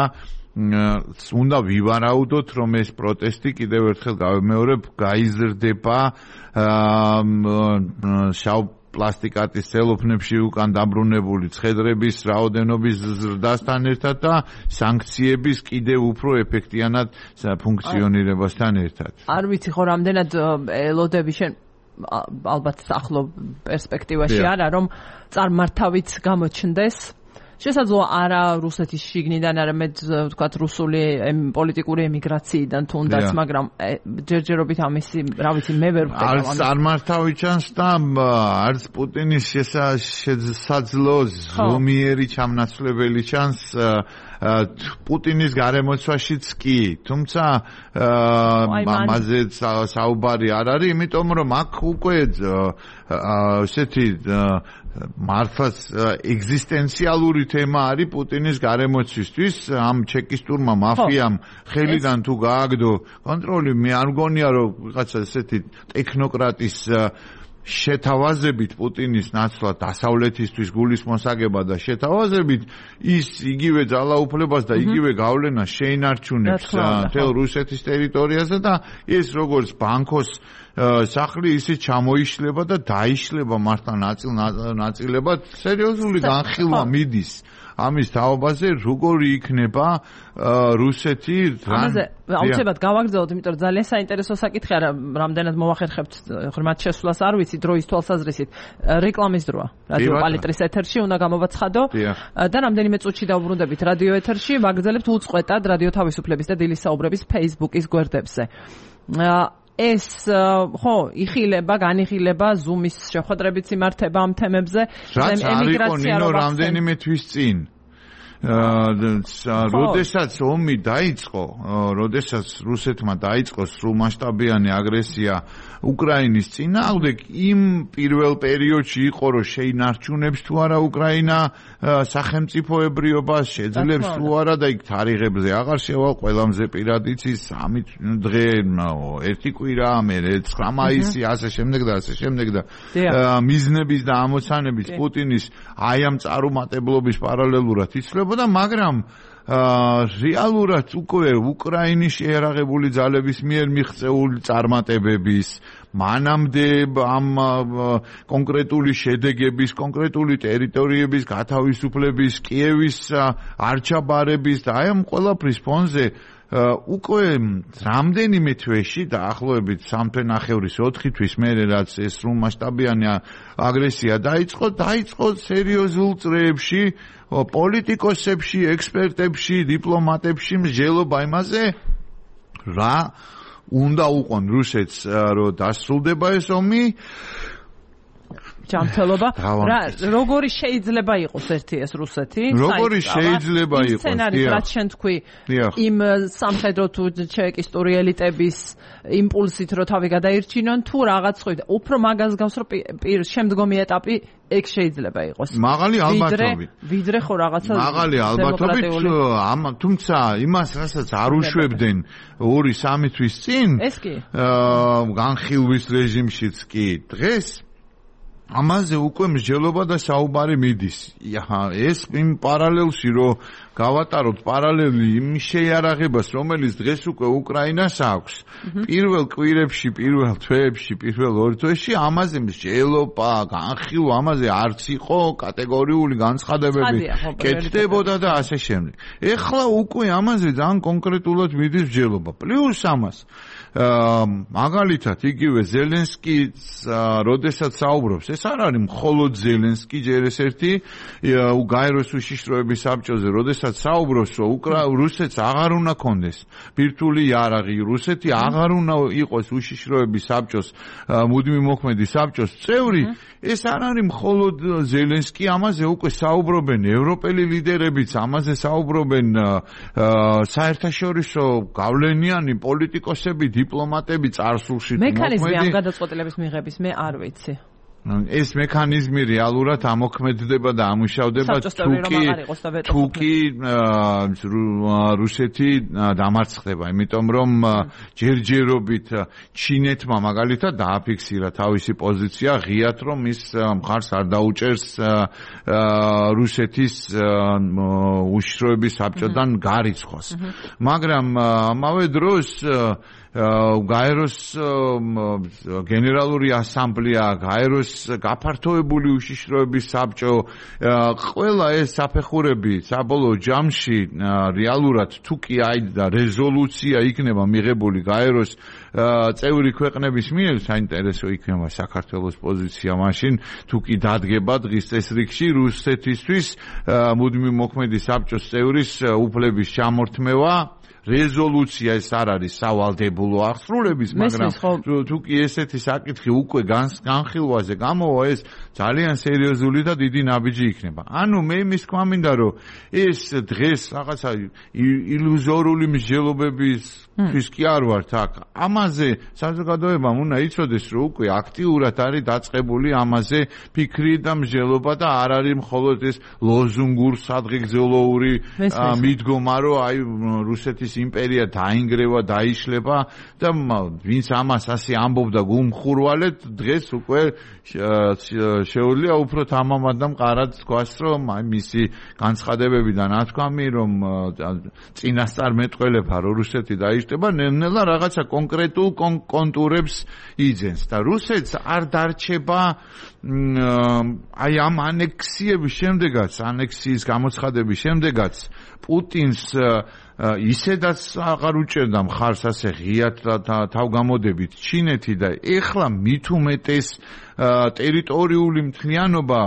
Speaker 2: უნდა ვივარაუდოთ, რომ ეს პროტესტი კიდევ ერთხელ გავიმეორებ, გაიზრდება შავ პლასტიკატის ცელოფნებში უკან დაბრუნებული ცხედრების რაოდენობის ზრდასთან ერთად და სანქციების კიდევ უფრო ეფექტიანად ფუნქციონირებასთან ერთად.
Speaker 1: არ ვიცი ხო რამდენად ელოდები შენ ალბათ ახლო პერსპექტივაში არა, რომ წარმართავიც გამოჩნდეს. შესაძლოა არა რუსეთის შიგნიდან, არამედ ვთქვათ რუსული პოლიტიკური ემიგრაციიდან თუნდაც, მაგრამ ჯერჯერობით ამისი, რა ვიცი, მე ვერ ვხვდები.
Speaker 2: არც წარმართავი ჩანს და არც პუტინის შესაძლო ზომიერი ჩამნაცვლებელი ჩანს პუტინის გარემოცვაშიც კი, თუმცა ამაზე საუბარი არ არის, იმიტომ რომ აქ უკვე ესეთი მართლაც ეგზისტენციალური თემა არის პუტინის გარემოცვისთვის, ამ ჩეკისტურმა მაფიამ ხელიდან თუ გააგდო კონტროლი, მე არ მგონია რომ ვიღაცა ესეთი ტექნოკრატის შეთავაზებით პუტინის ნაცვლად დასავლეთისთვის გულისმოსაგება და შეთავაზებით ის იგივე ძალაუფლებას და იგივე გავლენას შეინარჩუნებს მთელ რუსეთის ტერიტორიაზე და ეს როგორც ბანკოს სახლი ისე ჩამოიშლება და დაიშლება მართლა ნაწილებად სერიოზული განხილვა მიდის ამის თაობაზე, როგორი იქნება რუსეთი
Speaker 1: ამაზე აუცილებლად გავაგრძელოთ, იმიტომ რომ ძალიან საინტერესო საკითხია, რამდენად მოვახერხებთ ღრმად შესვლას არ ვიცი, დროის თვალსაზრისით. რეკლამის დროა. რადიო პალიტრის ეთერში უნდა გამოვაცხადო და რამდენიმე წუთში დავუბრუნდებით რადიო ეთერში, ვაგრძელებთ უწყვეტად რადიო თავისუფლების და დილის საუბრების Facebook-ის გვერდებზე. ეს ხო იხილება, განიხილება Zoom-ის შეხვედრებით იმართება ამ თემებზე.
Speaker 2: რაც არ იყო ნინო რამდენიმე თვის წინ. როდესაც ომი დაიწყო, როდესაც რუსეთმა დაიწყო სრულმასშტაბიანი აგრესია უკრაინის წინააღმდეგ, იმ პირველ პერიოდში იყო რომ შეინარჩუნებს თუ არა უკრაინა სახელმწიფოებრიობას, შეძლებს თუ არა და იქ თარიღებზე აღარ შევალ, ყველამზე პირად იცის 3 დღე, 1 კვირა, მერე 9 მაისი, ასე შემდეგ და ასე შემდეგ და მიზნების და ამოცანების პუტინის აი ამ წარუმატებლობის პარალელურად იცვლებოდა, მაგრამ რეალურად უკვე უკრაინის შეერაღებული ძალების მიერ მიღწეული წარმატებების მანამდე ამ კონკრეტული შედეგების, კონკრეტული ტერიტორიების გათავისუფლების, კიევის არჩაბარების და აი ამ ყველაფრის ფონზე უკვე რამდენიმე თვეში დაახლოებით 3.5-4 თვის მერე რაც ეს სრულმასშტაბიანი აგრესია დაიწყო სერიოზულ წრეებში, პოლიტიკოსებში, ექსპერტებში, დიპლომატებში მსჯელობა იმაზე, რა უნდა უყონ რუსეთს რომ დასრულდება ეს ომი.
Speaker 1: ჯანმრთელობა. როგორი შეიძლება იყოს ერთი ეს რუსეთი?
Speaker 2: როგორი შეიძლება იყოს?
Speaker 1: სცენარი, რაც შენ თქვი, იმ სამხედრო თუ ჩეკისტური ელიტების იმპულსით რომ თავი გადაირჩინონ, თუ რაღაც ხო, უფრო მაგას გავს რომ შემდგომი ეტაპი ეგ შეიძლება იყოს.
Speaker 2: მაღალი ალბათობით.
Speaker 1: ვიდრე ხო რაღაცა
Speaker 2: მაღალი ალბათობით, თუმცა იმას რასაც არ უშვებდნენ 2-3 თვის წინ,
Speaker 1: ეს კი.
Speaker 2: განხილვის რეჟიმშიც კი დღეს ამაზე უკვე მსჯელობა და საუბარი მიდის. ეს იმ პარალელში რომ გავატაროთ პარალელი იმ შეიარაღებას, რომელიც დღეს უკვე უკრაინას აქვს. პირველ კვირებში, პირველ თვეებში, პირველ 2 თვეში ამაზე მსჯელობა, განხილვა, ამაზე არც იყო კატეგორიული განცხადებები კეთდებოდა და ასე შემდეგ. ეხლა უკვე ამაზე ძალიან კონკრეტულად მიდის მსჯელობა. პლუს ამას მაგალითად იგივე ზელენსკის როდესაც საუბრობს, ეს არ არის მხოლოდ ზელენსკი ჯერ ეს ერთი გაეროს უშიშროების საბჭოზე, როდესაც საუბრობს რომ რუსეთს აღარ უნდა კონდეს ბირთვული იარაღი, რუსეთი აღარ უნდა იყოს უშიშროების საბჭოს მუდმივი მოქმედი საბჭოს წევრი, ეს არ არის მხოლოდ ზელენსკი, ამაზე უკვე საუბრობენ ევროპელი ლიდერებიც, ამაზე საუბრობენ საერთაშორისო გავლენიანი პოლიტიკოსები, დიპლომატები წარსულში მოქმედი.
Speaker 1: მექანიზმი ამ გადაწყვეტილების მიღების მე არ ვიცი.
Speaker 2: ეს მექანიზმი რეალურად ამოქმედდება და ამუშავდება თუკი რუსეთი დამარცხდება, იმიტომ რომ ჯერჯერობით ჩინეთმა მაგალითად დააფიქსირა თავისი პოზიცია ღიად, რომ ის მხარს არ დაუჭერს რუსეთის უშიშროების საბჭოდან გარიცხვას. მაგრამ ამავე დროს გაეროს გენერალური ასამბლეა, გაეროს გაფართოებული უშიშროების საბჭო, ყველა ეს საფეხურები საბოლოო ჯამში რეალურად თუ კი აი და რეზოლუცია იქნება მიღებული გაეროს წევრი ქვეყნების მიერ, საინტერესო იქნება საქართველოს პოზიცია მაშინ, თუ კი დადგება დღის წესრიგში რუსეთისთვის მუდმივი მოქმედი საბჭოს წევრის უფლების ჩამორთმევა. რეზოლუცია ეს არ არის სავალდებულო აღსრულების, მაგრამ თუ კი ესეთი საკითხი უკვე განხილვაზე გამოვა, ეს ძალიან სერიოზული და დიდი ნაბიჯი იქნება. ანუ მე იმის თქვა მინდა, რომ ეს დღეს რაღაცა ილუზორული მსჯელობების თვის კი არ ვართ აქ. ამაზე საზოგადოებამ უნდა იცოდეს, რომ უკვე აქტიურად არის დაწყებული ამაზე ფიქრი და მსჯელობა და არ არის მხოლოდ ეს ლოზუნგურ სადღეგრძელოური მიდგომა, რომ აი რუსეთის იმპერია დაინგრევა, დაიშლება და ვინც ამას ასე ამბობდა გულმხურვალედ, დღეს უკვე შეუძლია უფრო თამამად და მყარად თქვას, რომ აი მისი განცხადებებიდან ნათქვამი, რომ წინასწარ მეტყველება რომ რუსეთი დაიშლება, ნელ-ნელა რაღაცა კონკრეტულ კონტურებს იძენს და რუსეთს არ დარჩება აი ამ ანექსიების შემდეგაც, ანექსიის გამოცხადების შემდეგაც პუტინს ისედაც აღარ უჭერდა მხარს ასე ღიად თავგამოდებით ჩინეთი და ეხლა მით უმეტეს ტერიტორიული მთლიანობა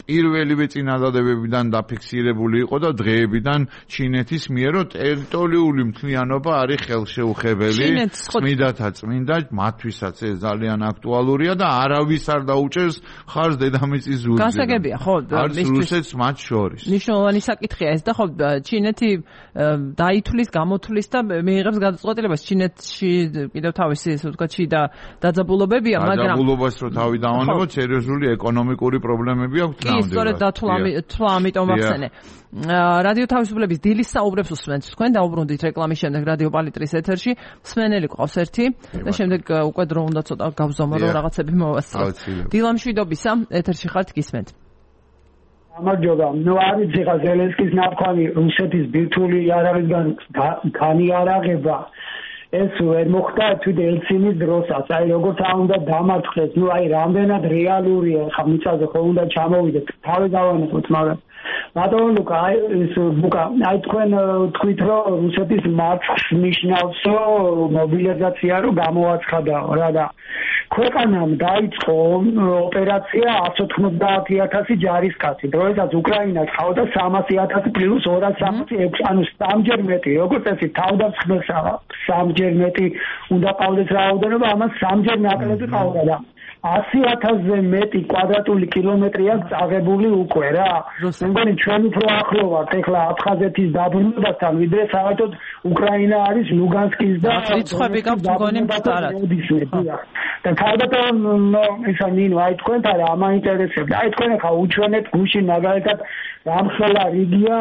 Speaker 2: პირველივე წინადადებებიდან დაფიქსირებული იყო და დღეებიდან ჩინეთის მიერ ტერიტორიული მთლიანობა არის ხელშეუხებელი. წმინდათა წმინდა, მათთვისაც ეს ძალიან აქტუალურია და არავის არ დაუჭერს ხარს დედამიწის ზურგზე.
Speaker 1: გასაგებია, ხო,
Speaker 2: რუსეთს მათ შორის.
Speaker 1: მნიშვნელოვანი საკითხია ეს და ხო ჩინეთი დაითვლის, გამოთვლის და მიიღებს გადაწყვეტილებას. ჩინეთში კიდევ თავისი ესე ვთქვათ შიდა დაძაბულობებია, მაგრამ
Speaker 2: დაძაბულობას რო თავი დავანებოთ, სერიოზული ეკონომიკური პრობლემები აქვს ნამდვილად. კი,
Speaker 1: სწორედ თვა ამიტომ ახსენე. რადიო თავისუფლების დილის საუბრებს უსმენთ თქვენ, დაუბრუნდით რეკლამის შემდეგ რადიო პალიტრის ეთერში. მსმენელი ყავს ერთი და შემდეგ უკვე დრო უნდა ცოტა გავზომო, რომ რაღაცები მოვასწროთ. დილა მშვიდობისა, ეთერში ხართ, გისმენთ.
Speaker 4: გამარჯობა. არის ხა ზელენსკის ნაფქანი რუსეთის ბირთვული იარაღისგან განიარაღება. ეს ვერ მოხდა თვით ელცინის დროსაც. აი როგორც უნდა დამარცხდეს, რამდენად რეალურია ხა მიწაზე ხო უნდა ჩამოვიდეთ. თავი დავანებოთ, მაგრამ ბატონო ლუკა, აი თქვენ თქვით რომ რუსეთის მარცხს ნიშნავს მობილიზაცია რომ გამოაცხადაო რა და ქვეყანამ დაიწყო ოპერაცია 190,000 ჯარისკაცი. დროსაც უკრაინას ყავდა 300,000 პლუს 236, ანუ 3-ჯერ მეტი. როგორც წესი თავდამსხმელს სამჯერ მეტი უნდა ყავდეს რაოდენობა, ამას 3-ჯერ ნაკლები ყავდა და 100,000-ზე მეტი კვადრატული კილომეტრი აქვს წაღებული უკვე რა. მე მგონი ჩვენ უფრო ახლო ვართ ეხლა აფხაზეთის დაბრუნებასთან, ვიდრე საერთოდ უკრაინა არის ლუგანსკის და
Speaker 1: რიცხვები გაქვთ მგონი მწარად.
Speaker 4: და ქალბატონ ისა ნინო, აი თქვენ და რა მაინტერესებდა. აი თქვენ ხა უჩვენეთ გუშინ მაგალითად რამხელა რიგია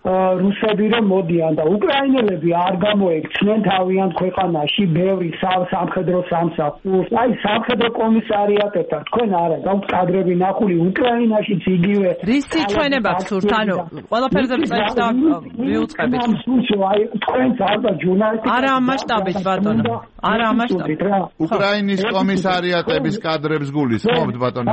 Speaker 4: რუსები რომ მოდიან და უკრაინელები არ გამოექცნენ თავიანთ ქვეყანაში ბევრი სამხედრო სამსახურს. აი სამხედრო კომისარიატებთან თქვენ არა გაქვთ კადრები ნახული უკრაინაშიც იგივე.
Speaker 1: რისი ჩვენება გსურთ? ანუ ყველაფერზე წელს და მიუწყებით.
Speaker 4: აი თქვენც ალბა ჟურნალისტი
Speaker 1: არა ამ მასშტაბით ბატონო. არა ამ მასშტაბით.
Speaker 2: უკრაინის კომისარიატების კადრებს გულისხმობთ ბატონო.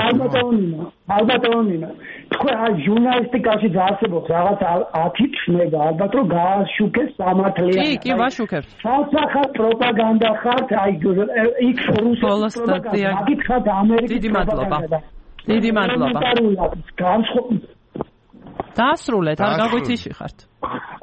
Speaker 4: ალბათონინა. თქვენ აი ჟურნალისტიკაში დაასებობთ რაღაც ათიწნება ალბათ რომ გააშუქეს სამართლიანი.
Speaker 1: კი, ვაშუქებთ.
Speaker 4: სასახა პროპაგანდა ხართ აი იქ რუსეთის პროპაგანდა. გითხრათ ამერიკის პროპაგანდა.
Speaker 1: დიდი მადლობა. დაასრულეთ, არ გაგვიცი ხართ.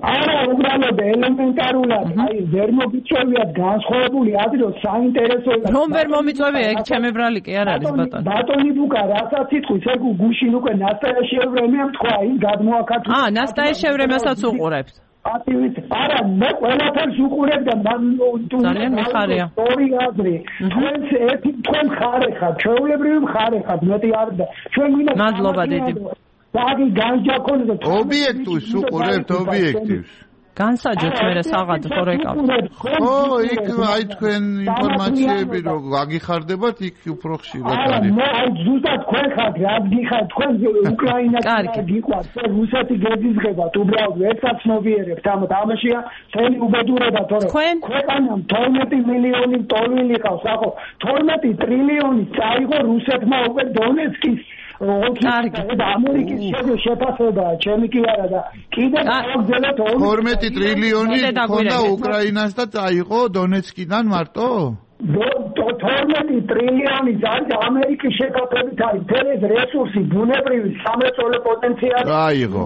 Speaker 4: არა, უბრალოდ ელემენტარულად, აი ვერ მოგიწევიათ განსხვავებული აზრი, რომ საინტერესო
Speaker 1: რომ ვერ მომიწევია, ეგ ჩემი ბრალი კი არ არის ბატონო.
Speaker 4: ბატონი ლუკა, რასაც იტყვის, ეგ გუშინ უკვე ნასტაიაშევრემიამ თქვა, ის გადმოაკაც.
Speaker 1: ნასტაიაშევრემასაც უყურებთ.
Speaker 4: არა, მე ყველაფერს უყურებ და
Speaker 1: ძალიან მიხარია.
Speaker 4: ორი აზრი. თქვენ ხარე ხართ, ჩვეულებრივი ხარე ხართ, მეტი არ და ჩვენ ვინა.
Speaker 1: მადლობა დიდი.
Speaker 4: დაგი განჯაკონდა
Speaker 2: ობიექტივს უყურებთ ობიექტივს.
Speaker 1: განსაჯოთ მე საღად ხო რეკავთ.
Speaker 2: ხო, იქ აი თქვენ ინფორმაციები რო გაგიხარდებათ, იქ უფრო ხშირად არის.
Speaker 4: მე აი ზუსტად თქვენ ხართ, რა გიხართ, თქვენ უკრაინაში გიყვართ, რუსეთი გეზიზღებათ, უბრალოდ ერთად მოვიერებთ, ამაშია მთელი უბედურება, თორე ქვეყანამ 12 მილიონი ტოლილი ყავს, ახო 12 ტრილიონი წაიღო რუსეთმა უკვე დონეცკის ამერიკის შეფასება, ჩემი კი არა და კიდე გავგზავნოთ
Speaker 2: 12 ტრილიონი ხონდა უკრაინას და წაიღო დონეცკიდან მარტო?
Speaker 4: 12 ტრილიონი არის ამერიკის შეფასებით არის ფერეს რესურსი, ბუნებრივი სამრეწველო პოტენციალი.
Speaker 2: აიღო.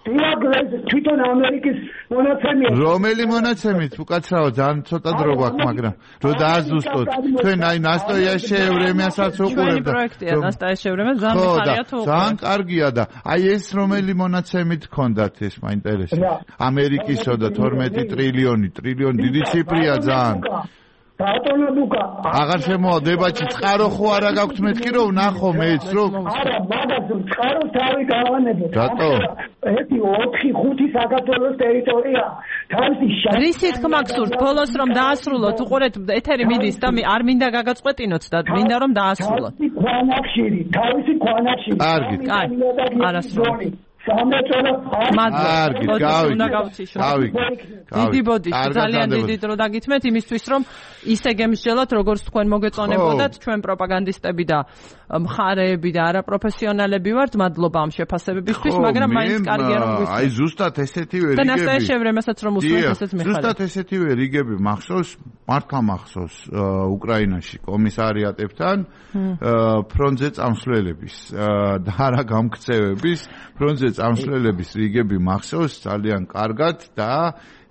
Speaker 4: თვითონ ამერიკის მონაცემია.
Speaker 2: რომელი მონაცემით? უკაცრავ ძალიან ცოტა დრო გვაქვს, მაგრამ რო დააზუსტოთ. თქვენ აი ნასტაიაშევრემიასაც უყურებთ.
Speaker 1: პროექტია ნასტაიაშევრემია, ძალიან მიხარია თუ.
Speaker 2: ძალიან კარგია და აი ეს რომელი მონაცემით გქონდათ ეს მაინტერესებს. ამერიკისო და 12 ტრილიონი დიდი ციფრია ძალიან.
Speaker 4: ბატონო ლუკა,
Speaker 2: აღარ შემოვა დებატში, წყარო ხო არა გაქვთ მეთქი რომ ვნახო მეც რომ
Speaker 4: არა, მაგას წყარო თავი გავანებოთ.
Speaker 2: რატო?
Speaker 4: 1-4-5 საქართველოს ტერიტორია. თავისი
Speaker 1: რისი თქმა გსურთ, ბოლოს რომ დაასრულოთ, უყურეთ, ეთერი მიდის და არ მინდა გაგაწყვეტინოთ და მინდა რომ დაასრულოთ.
Speaker 4: თავისი ქვანახშირი.
Speaker 2: კარგი.
Speaker 1: არასრული. დიდი ბოდიში, ძალიან დიდი დრო დაგითმეთ იმისთვის, რომ ისე გემსჯელოთ, როგორც თქვენ მოგეწონებოდათ, ჩვენ პროპაგანდისტები და მხარეები და არაპროფესიონალები ვართ, მადლობა ამ შეფასებებისთვის, მაგრამ მაინც კარგია რომ გვისმენთ.
Speaker 2: აი ზუსტად ესეთივე რიგები.
Speaker 1: და ნასტაიაშევ რემასაც რომ უსმენთ, ესეც მიხარია.
Speaker 2: ზუსტად ესეთივე რიგები მახსოვს, მართლა მახსოვს უკრაინაში კომისარიატებთან ფრონტზე წამსვლელების და არა გამქცევების ფრონტზე წამსვლელების რიგები მახსოვს ძალიან კარგად და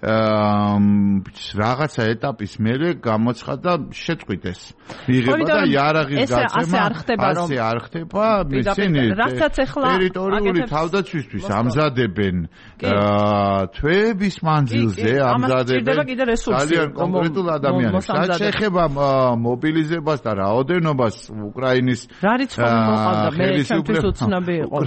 Speaker 2: რაღაცა ეტაპის მერე გამოცხადა შეწყვიტეს მიღება და იარაღის გაცემა ასე არ ხდება ისინი ტერიტორიული თავდაცვისთვის ამზადებენ თვეების მანძილზე ამზადებენ ძალიან კონკრეტულ ადამიანებს რაც შეეხება მობილიზებას და რაოდენობას უკრაინის
Speaker 1: რა რიცხვი მოყავდა მე ჩემთვის უცნობი იყო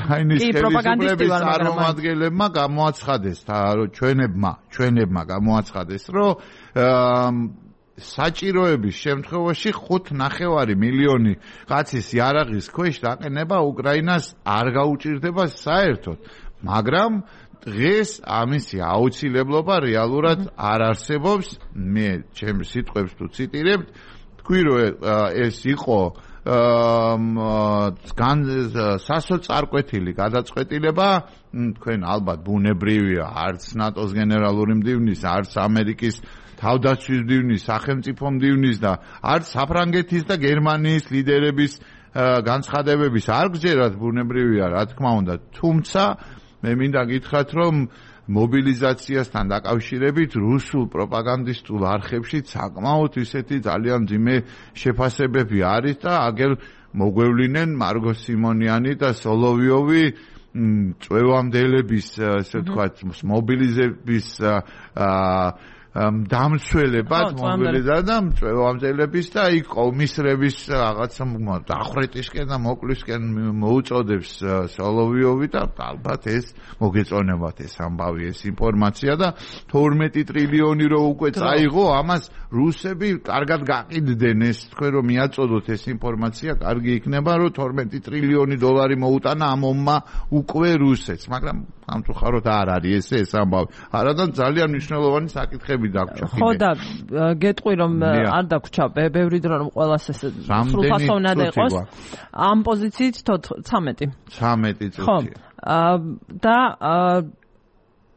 Speaker 2: კი პროპაგანდისტი ვარ წარმომადგენლებმა გამოაცხადეს და ჩვენებმა გამოაცხადეს რომ საჭიროების შემთხვევაში 5.9 მილიონი კაცის იარაღის ქვეშ დაყენება უკრაინას არ გაუჭირდება საერთოდ მაგრამ დღეს ამისი აუცილებლობა რეალურად არ არსებობს მე ჩემს სიტყვებს თუ ციტირებთ თქვი რომ ეს იყო სასოწარკვეთილი გადაწყვეტილება თქვენ ალბათ ბუნებრივია არც ნატოს გენერალური მდივნის არც ამერიკის თავდაცვის მდივნის სახელმწიფო მდივნის და არც საფრანგეთის და გერმანიის ლიდერების განცხადებების არ გჯერათ ბუნებრივია რა თქმა უნდა თუმცა მე მინდა გითხრათ რომ მობილიზაციასთან დაკავშირებით რუსულ პროპაგანდისტულ არხებში საკმაოდ ისეთი ძალიან ძიმე შეფასებები არის და აგერ მოგვევლინენ მარგო სიმონიანი და სოლოვიოვი წვევამდელების ესე ვთქვათ მობილიზების დამცველებად მობილიზადა წვევამდელების და იქ კომისრების რაღაცა დახრეტისკენ და მოკლისკენ მოუწოდებს სოლოვიოვი და ალბათ ეს მოგეწონებათ ეს ამბავი ეს ინფორმაცია და 12 ტრილიონი რო უკვე წაიღო ამას რუსები კარგად გაყიდდნენ ეს თქვენ რომ მიაწოდოთ ეს ინფორმაცია კარგი იქნება რომ 12 ტრილიონი დოლარი მოუტანა ამ ომმა უკვე რუსეთს მაგრამ სამწუხაროდ არ არის ეს ამბავი არადა ძალიან მნიშვნელოვანი საკითხები
Speaker 1: ხო და გეტყვი რომ არ დაგვრჩა ბევრი დრო რომ ყველას ეს სრულფასოვნად იყოს ამ პოზიციით 13 წუთი და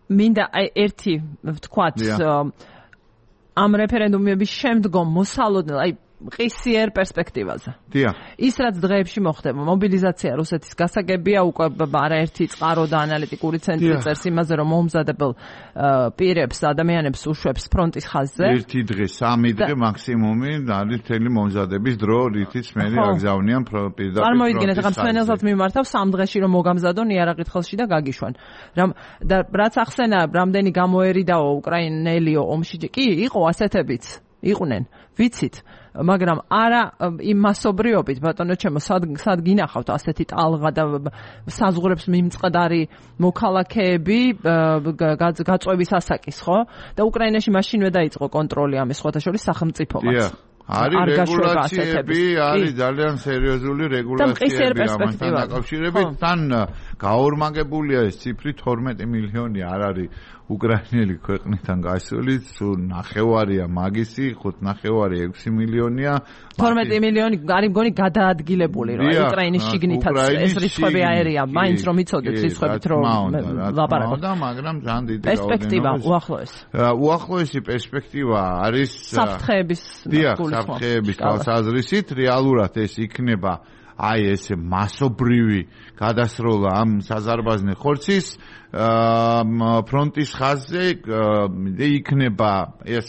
Speaker 1: მინდა ერთი ვთქვათ ამ რეფერენდუმების შემდგომ მოსალოდნელ აი ყისიერ პერსპექტივაზე. ის რაც დღეებში მოხდება, მობილიზაცია რუსეთის გასაგებია, უკვე არაერთი წყარო და ანალიტიკური ცენტრი წერს იმაზე, რომ მომზადებელ პირებს, ადამიანებს უშვებს ფრონტის ხაზზე.
Speaker 2: ერთი დღე, 3 დღე მაქსიმუმი არის თელი მომზადების დრო, რითიც მე აგზავნიან პირდაპირ.
Speaker 1: წარმოიდგინეთ, ახლა მსვენელსაც მიმართავ 3 დღეში რომ მოგამზადონ იარაღით ხელში და გაგიშვან. და რაც ახსენა, რამდენი გამოერიდაო უკრაინელიო ომში, კი, იყო ასეთებიც. იყვნენ, ვიცით, მაგრამ არა იმ მასობრიობით, ბატონო ჩემო, სად გინახავთ ასეთი ტალღა და საზღვრებს მიმწყდარი მოქალაქეები გაწვევის ასაკის, ხო? და უკრაინაში მაშინვე დაიწყო კონტროლი ამის სხვათა შორის სახელმწიფომაც.
Speaker 2: არის რეგულაციები, არის ძალიან სერიოზული რეგულაციები ამასთან დაკავშირებით, თან გაორმაგებულია ეს ციფრი 12 მილიონი არ არის უკრაინელი ქვეყნიდან გასული, სულ 9-ვარია მაგისი, 5-9 6 მილიონია.
Speaker 1: 12 მილიონი არის მგონი გადაადგილებული, რომ უკრაინის შიგნითაც ეს რიცხვები აერია, მაინც რომ იცოდეთ რიცხვებით რომ ლაპარაკობთ.
Speaker 2: მაგრამ ძალიან დიდი
Speaker 1: პერსპექტივა უახლოეს.
Speaker 2: უახლოესი პერსპექტივა არის
Speaker 1: საფრთხეების
Speaker 2: თვალსაზრისით, რეალურად ეს იქნება აი ესე მასობრივი გადასროლა ამ საზარბაზნე ხორცის ფრონტის ხაზზე იქნება ეს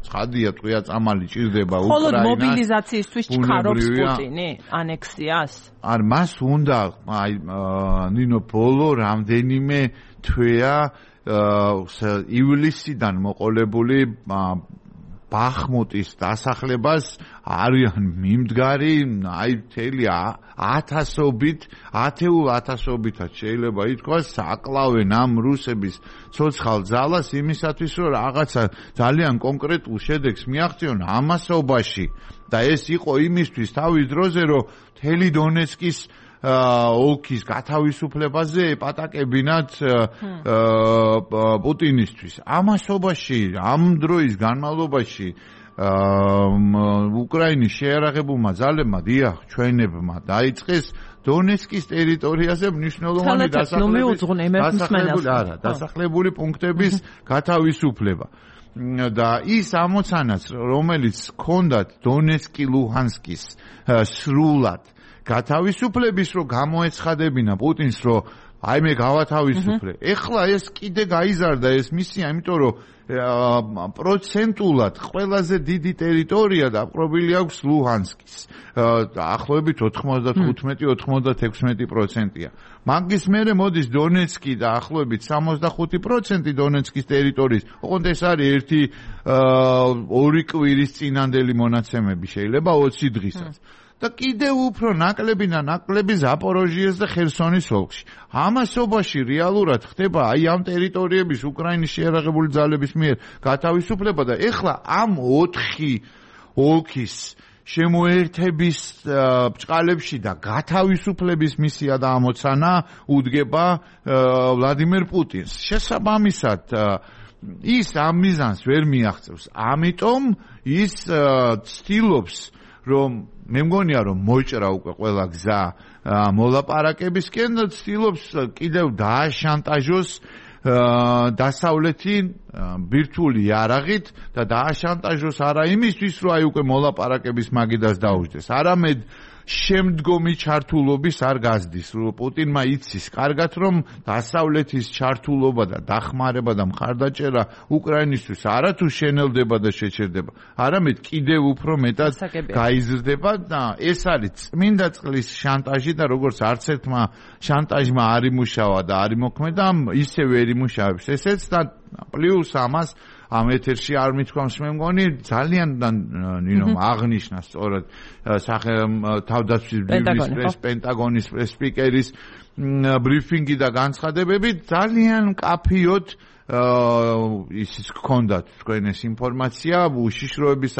Speaker 2: ცხადია ტყვია წამალი ჭირდება უკრაინას.
Speaker 1: ხოლო მობილიზაციისთვის ჩქარობს პუტინი ანექსიას?
Speaker 2: არ მას უნდა აი ნინო ბოლო რამდენიმე თვეა ივლისიდან მოყოლებული ბახმუტის დასახლებას არიან მიმდგარი, აი მთელი 1000-ათეულათასობითაც შეიძლება ითქვას, აკლავენ ამ რუსების ცოცხალ ძალას იმისათვის, რომ რაღაცა ძალიან კონკრეტულ შედეგს მიაღწიონ ამასობაში და ეს იყო იმისთვის თავის დროზე, რომ მთელი დონეცკის ოლქის გათავისუფლებაზე ეპატაკებინათ პუტინისთვის. ამასობაში, ამ დროის განმავლობაში უკრაინის შეიარაღებულმა ძალებმა დიახ ჩვენებმა დაიწყეს დონეცკის ტერიტორიაზე მნიშვნელოვანი დასახლებული პუნქტების გათავისუფლება. და ის ამოცანაც, რომელიც ჰქონდათ დონეცკი ლუჰანსკის სრულად გათავისუფლების, რომ გამოეცხადებინა პუტინს, რომ აი მე გავათავისუფლე. ეხლა ეს კიდე გაიზარდა ეს მისია, იმიტომ რომ პროცენტულად ყველაზე დიდი ტერიტორია დაპყრობილი აქვს ლუჰანსკის. დაახლოებით 95-96%-ია. მაგის მერე მოდის დონეცკი და ახლობით 65% დონეცკის ტერიტორიის. ოღონდ ეს არის ერთი 2 კვირის წინანდელი მონაცემები, შეიძლება 20 დღისაც. და კიდევ უფრო ნაკლები ზაპოროჟიეს და ხერსონის ოლქში. ამასობაში რეალურად ხდება აი ამ ტერიტორიების უკრაინის შეიარაღებული ძალების მიერ გათავისუფლება და ეხლა ამ 4 ოლქის შემოერთების ბჭყალებში და გათავისუფლების მისია და ამოცანა უდგება ვლადიმერ პუტინს. შესაბამისად ის ამ მიზანს ვერ მიაღწევს. ამიტომ ის ცდილობს რომ მე მგონია რომ მოიჭრა უკვე ყველა გზა მოლაპარაკებისკენ და ცდილობს კიდევ დააშანტაჟოს დასავლეთი ბირთვული იარაღით და დააშანტაჟოს არა იმისთვის რომ აი უკვე მოლაპარაკების მაგიდას დაუჯდეს, არამედ შემდგომი ჩართულობის არ გაზდის, რომ პუტინმა იცის კარგად რომ დასავლეთის ჩართულობა და დახმარება და მხარდაჭერა უკრაინისთვის არათუ შენელდება და შეჩერდება, არამედ კიდევ უფრო მეტად გაიზრდება და ეს არის წმინდა წყლის შანტაჟი და როგორც არც ერთმა შანტაჟმა არ იმუშავა და არ იმოქმედა, ისე ვერ იმუშავებს ესეც და პლუს ამას ამ ეთერში არ მithქვამს მე მგონი ძალიან ნინომ აღნიშნა სწორად თავდაცვის ბიურის პენტაგონის სპიკერის ბრიფინგი და განცხადებები ძალიან მკაფიოდ ის გქონდათ თქვენ ეს ინფორმაცია უშიშროების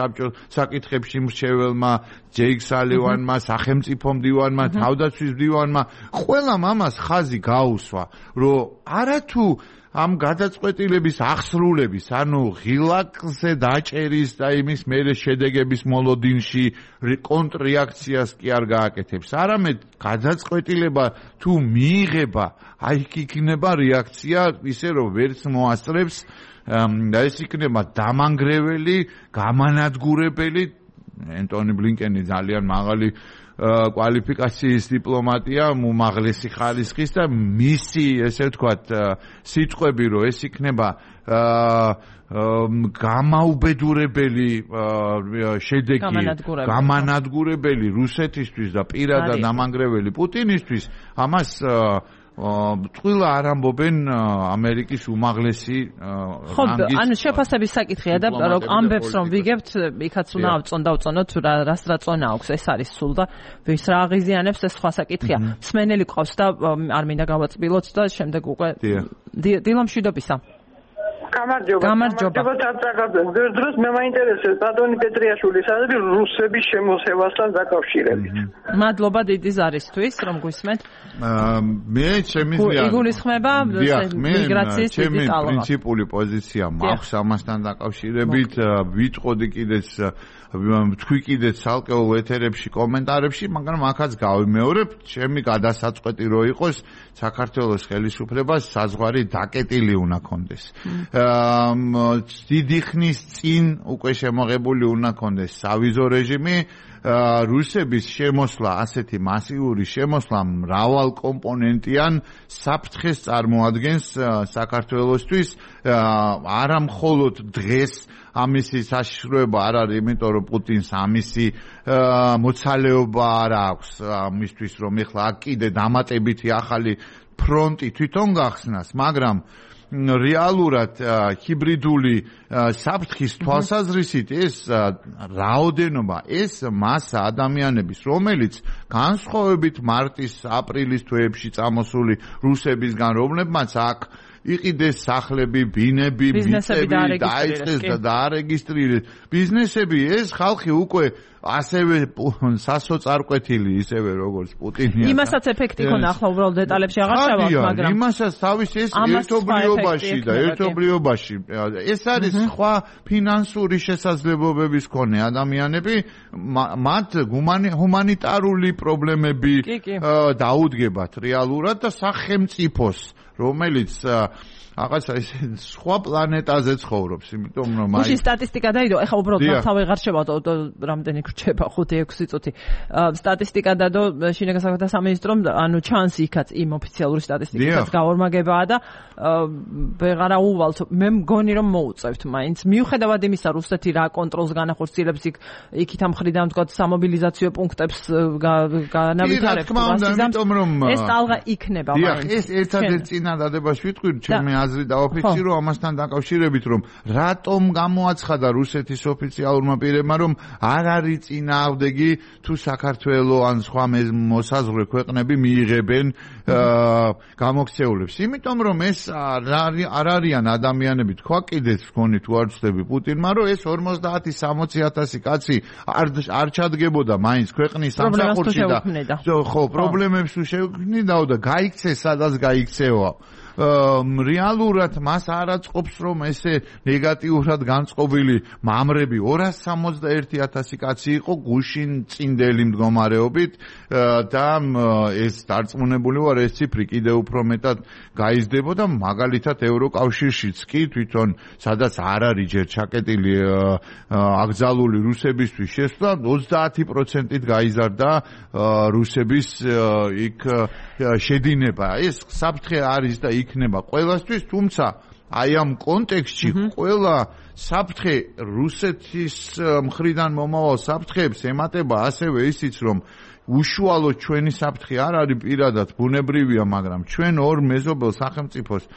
Speaker 2: საკითხებში მრჩეველმა ჯეიკ სალივანმა, სახელმწიფო მდივანმა, თავდაცვის მდივანმა ყველა ამას ხაზი გაუსვა, რომ არათუ ამ გადაწყვეტილების აღსრულების, ანუ ღილაკზე დაჭერის და იმის მერე შედეგების მოლოდინში კონტრრეაქციას კი არ გააკეთებს, არამედ გადაწყვეტილება თუ მიიღება, აი იქნება რეაქცია ისე რომ ვერც მოასწრებს და ეს იქნება დამანგრეველი, გამანადგურებელი. ენტონი ბლინკენი ძალიან მაღალი კვალიფიკაციის დიპლომატია, უმაღლესი ხარისხის და მისი ესე ვთქვათ სიტყვები რომ ეს იქნება გამაუბედურებელი შედეგი, გამანადგურებელი რუსეთისთვის და პირადად დამანგრეველი პუტინისთვის, ამას ტყუილა არ ამბობენ ამერიკის უმაღლესი რანგის.
Speaker 1: ანუ შეფასების საკითხია და რომ ამბებს რომ ვიგებთ, იქაც უნდა დავწონოთ რას რა წონა აქვს, ეს არის სულ და ვის რა აღიზიანებს, ეს სხვა საკითხია. მსმენელი ყავს და არ მინდა გავაწბილოთ და შემდეგ უკვე დილა მშვიდობისა.
Speaker 5: გამარჯობა. დროს მე მაინტერესებს ბატონი პეტრიაშვილის აზრი რუსების შემოსევასთან დაკავშირებით.
Speaker 1: მადლობა დიდი ზარისთვის, რომ გვისმენთ.
Speaker 2: მე ჩემი
Speaker 1: იგულისხმება მიგრაციის დიდი ტალღა.
Speaker 2: პრინციპული პოზიცია მაქვს ამასთან დაკავშირებით, ვიტყოდი კიდეც თქვი კიდეც ცალკეულ ეთერებში, კომენტარებში, მაგრამ აქაც გავიმეორებ, ჩემი გადასაწყვეტი რო იყოს საქართველოს ხელისუფლებას საზღვარი დაკეტილი უნდა კონდეს. დიდი ხნის წინ უკვე შემოღებული უნდა კონდეს სავიზო რეჟიმი, რუსების შემოსვლა, ასეთი მასიური შემოსვლა მრავალ კომპონენტიან საფრთხეს წარმოადგენს საქართველოსთვის, არა მხოლოდ დღეს ამისი საშიშროება არ არის, იმიტომ რომ პუტინს ამისი მოცალეობა არ აქვს ამისთვის, რომ ეხლა აქ კიდე დამატებითი ახალი ფრონტი თვითონ გახსნას, მაგრამ რეალურად ჰიბრიდული საფრთხის თვალსაზრისით ეს რაოდენობა, ეს მასა ადამიანების, რომელიც განსხვავებით მარტის, აპრილის თვეებში წამოსული რუსებისგან, რომლებმაც აქ იყიდეს სახლები, ბინები, მიწები, დაიწყეს და დაარეგისტრირეს ბიზნესები, ეს ხალხი უკვე ასევე სასოწარკვეთილი ისევე როგორც პუტინია.
Speaker 1: იმასაც ეფექტი ქონდა, ახლა უბრალოდ დეტალებში აღარ ჩავართ, მაგრამ
Speaker 2: იმასაც თავის ეს ერთობლიობაში ეს არის სხვა ფინანსური შესაძლებლობების მქონე ადამიანები, მათ ჰუმანიტარული პრობლემები დაუდგებათ რეალურად და სახელმწიფოს, რომელიც რაღაცა ის სხვა პლანეტაზე ცხოვრობს, იმიტომ რომ
Speaker 1: აი სტატისტიკა დაიდო, ეხლა უბრალოდ თავი აღარ შევატო, რამდენი გრჩება 5-6 წუთი. სტატისტიკა დადო შინაგან საქმეთა სამინისტრომ, ანუ ჩანს იქაც იმ ოფიციალური სტატისტიკაც გაორმაგებაა და ვეღარა უვალთ. მე მგონი რომ მოუწევთ მაინც. მიუხედავად იმისა, რუსეთი რა კონტროლს განახორციელებს იქით ამ მხრიდან თქვა სამობილიზაციო პუნქტებს განავითარებს. ეს ტალღა იქნება მაინც.
Speaker 2: ეს ერთადერთი წინადადებას ვიტყვი, ჩემი აზრი დაოფიცირო ამასთან დაკავშირებით, რომ რატომ გამოაცხადა რუსეთის ოფიციალურმა პირებმა, რომ არ არის წინააღმდეგი თუ საქართველო ან სხვა მოსაზღვრე ქვეყნები მიიღებენ გამოქცეულებს. იმიტომ რომ ეს არ არიან ადამიანები, თქვა კიდეც ვქონი თუ არ ვცდები პუტინმა, რომ ეს 50-60,000 კაცი არ ჩადგებოდა მაინც ქვეყნის სამსახურში და ხო, პრობლემებს თუ შეუქმნიდაო და გაიქცეს სადაც გაიქცევა. რეალურად მას არ აწყობს რომ ესე ნეგატიურად განწყობილი მამრები 261,000 კაცი იყო გუშინ წინდელი მდგომარეობით და ეს დარწმუნებული ვარ ეს ციფრი კიდევ უფრო მეტად გაიზრდებოდა მაგალითად ევროკავშირშიც კი თვითონ სადაც არ არის ჯერ ჩაკეტილი აკრძალული რუსებისთვის შესვლა 30%-ით გაიზარდა რუსების იქ შედინება ეს საფრთხე არის და იქნება ყველასთვის, თუმცა აი ამ კონტექსტში ყველა საფრთხე რუსეთის მხრიდან მომავალ საფრთხეებს ემატება ასევე ისიც, რომ უშუალოდ ჩვენი საფრთხე არ არის პირადად ბუნებრივია, მაგრამ ჩვენ ორ მეზობელ სახელმწიფოს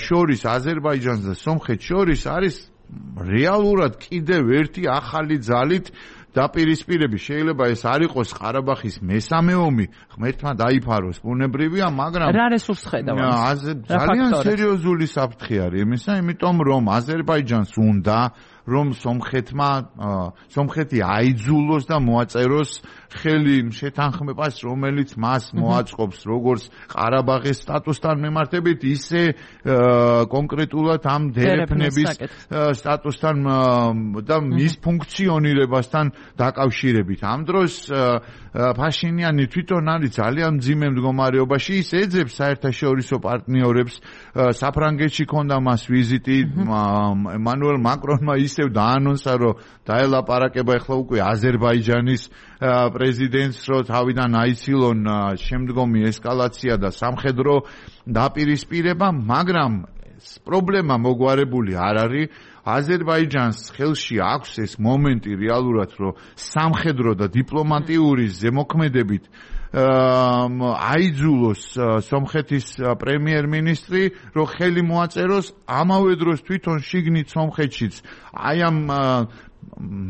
Speaker 2: შორის აზერბაიჯანს და სომხეთს შორის არის რეალურად კიდევ ერთი ახალი ძალით დაპირისპირები შეიძლება ეს არ იყოს ყარაბაღის მესამე ომი, ღმერთმა დაიფაროს, ბუნებრივია, მაგრამ
Speaker 1: რა რესურსს ხედავთ?
Speaker 2: ძალიან სერიოზული საფრთხე არის იმისა, იმიტომ რომ აზერბაიჯანს უნდა რომ სომხეთი აიძულოს და მოაწეროს ხელი შეთანხმებას, რომელიც მას მოაწყობს როგორც ყარაბაღის სტატუსთან მიმართებით, ისე კონკრეტულად ამ დერეფნების სტატუსთან და მის ფუნქციონირებასთან დაკავშირებით. ამ დროს ფაშინიანი თვითონ არის ძალიან მძიმე მდგომარეობაში, ის ეძებს საერთაშორისო პარტნიორებს, საფრანგეთში ქონდა მას ვიზიტი, ემანუელ მაკრონმა ისევ დაანონსა, რომ დაელაპარაკება ახლა უკვე აზერბაიჯანის პრეზიდენტს, რომ თავიდან აიცილონ შემდგომი ესკალაცია და სამხედრო დაპირისპირება, მაგრამ პრობლემა მოგვარებული არ არის. აზერბაიჯანს ხელში აქვს ეს მომენტი რეალურად, რომ სამხედრო და დიპლომატიური ზემოქმედებით აიძულოს სომხეთის პრემიერ-მინისტრი, რომ ხელი მოაწეროს ამავე დროს თვითონ შიგნით სომხეთშიც აი ამ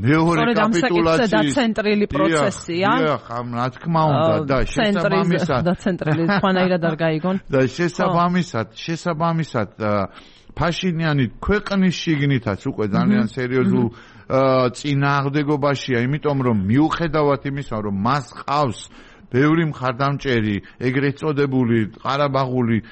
Speaker 2: მეორე კაპიტულაციის
Speaker 1: დაცენტრილი პროცესია.
Speaker 2: რა თქმა უნდა და შესაბამისად
Speaker 1: დაცენტრილი თქვენაირად არ გაიგონ.
Speaker 2: და შესაბამისად ფაშინიანი ქვეყნის შიგნითაც უკვე ძალიან სერიოზულ წინააღმდეგობაშია, იმიტომ რომ მიუხედავად იმისა, რომ მას ყავს ბევრი მხარდამჭერი, ეგრეთ წოდებული ყარაბაღული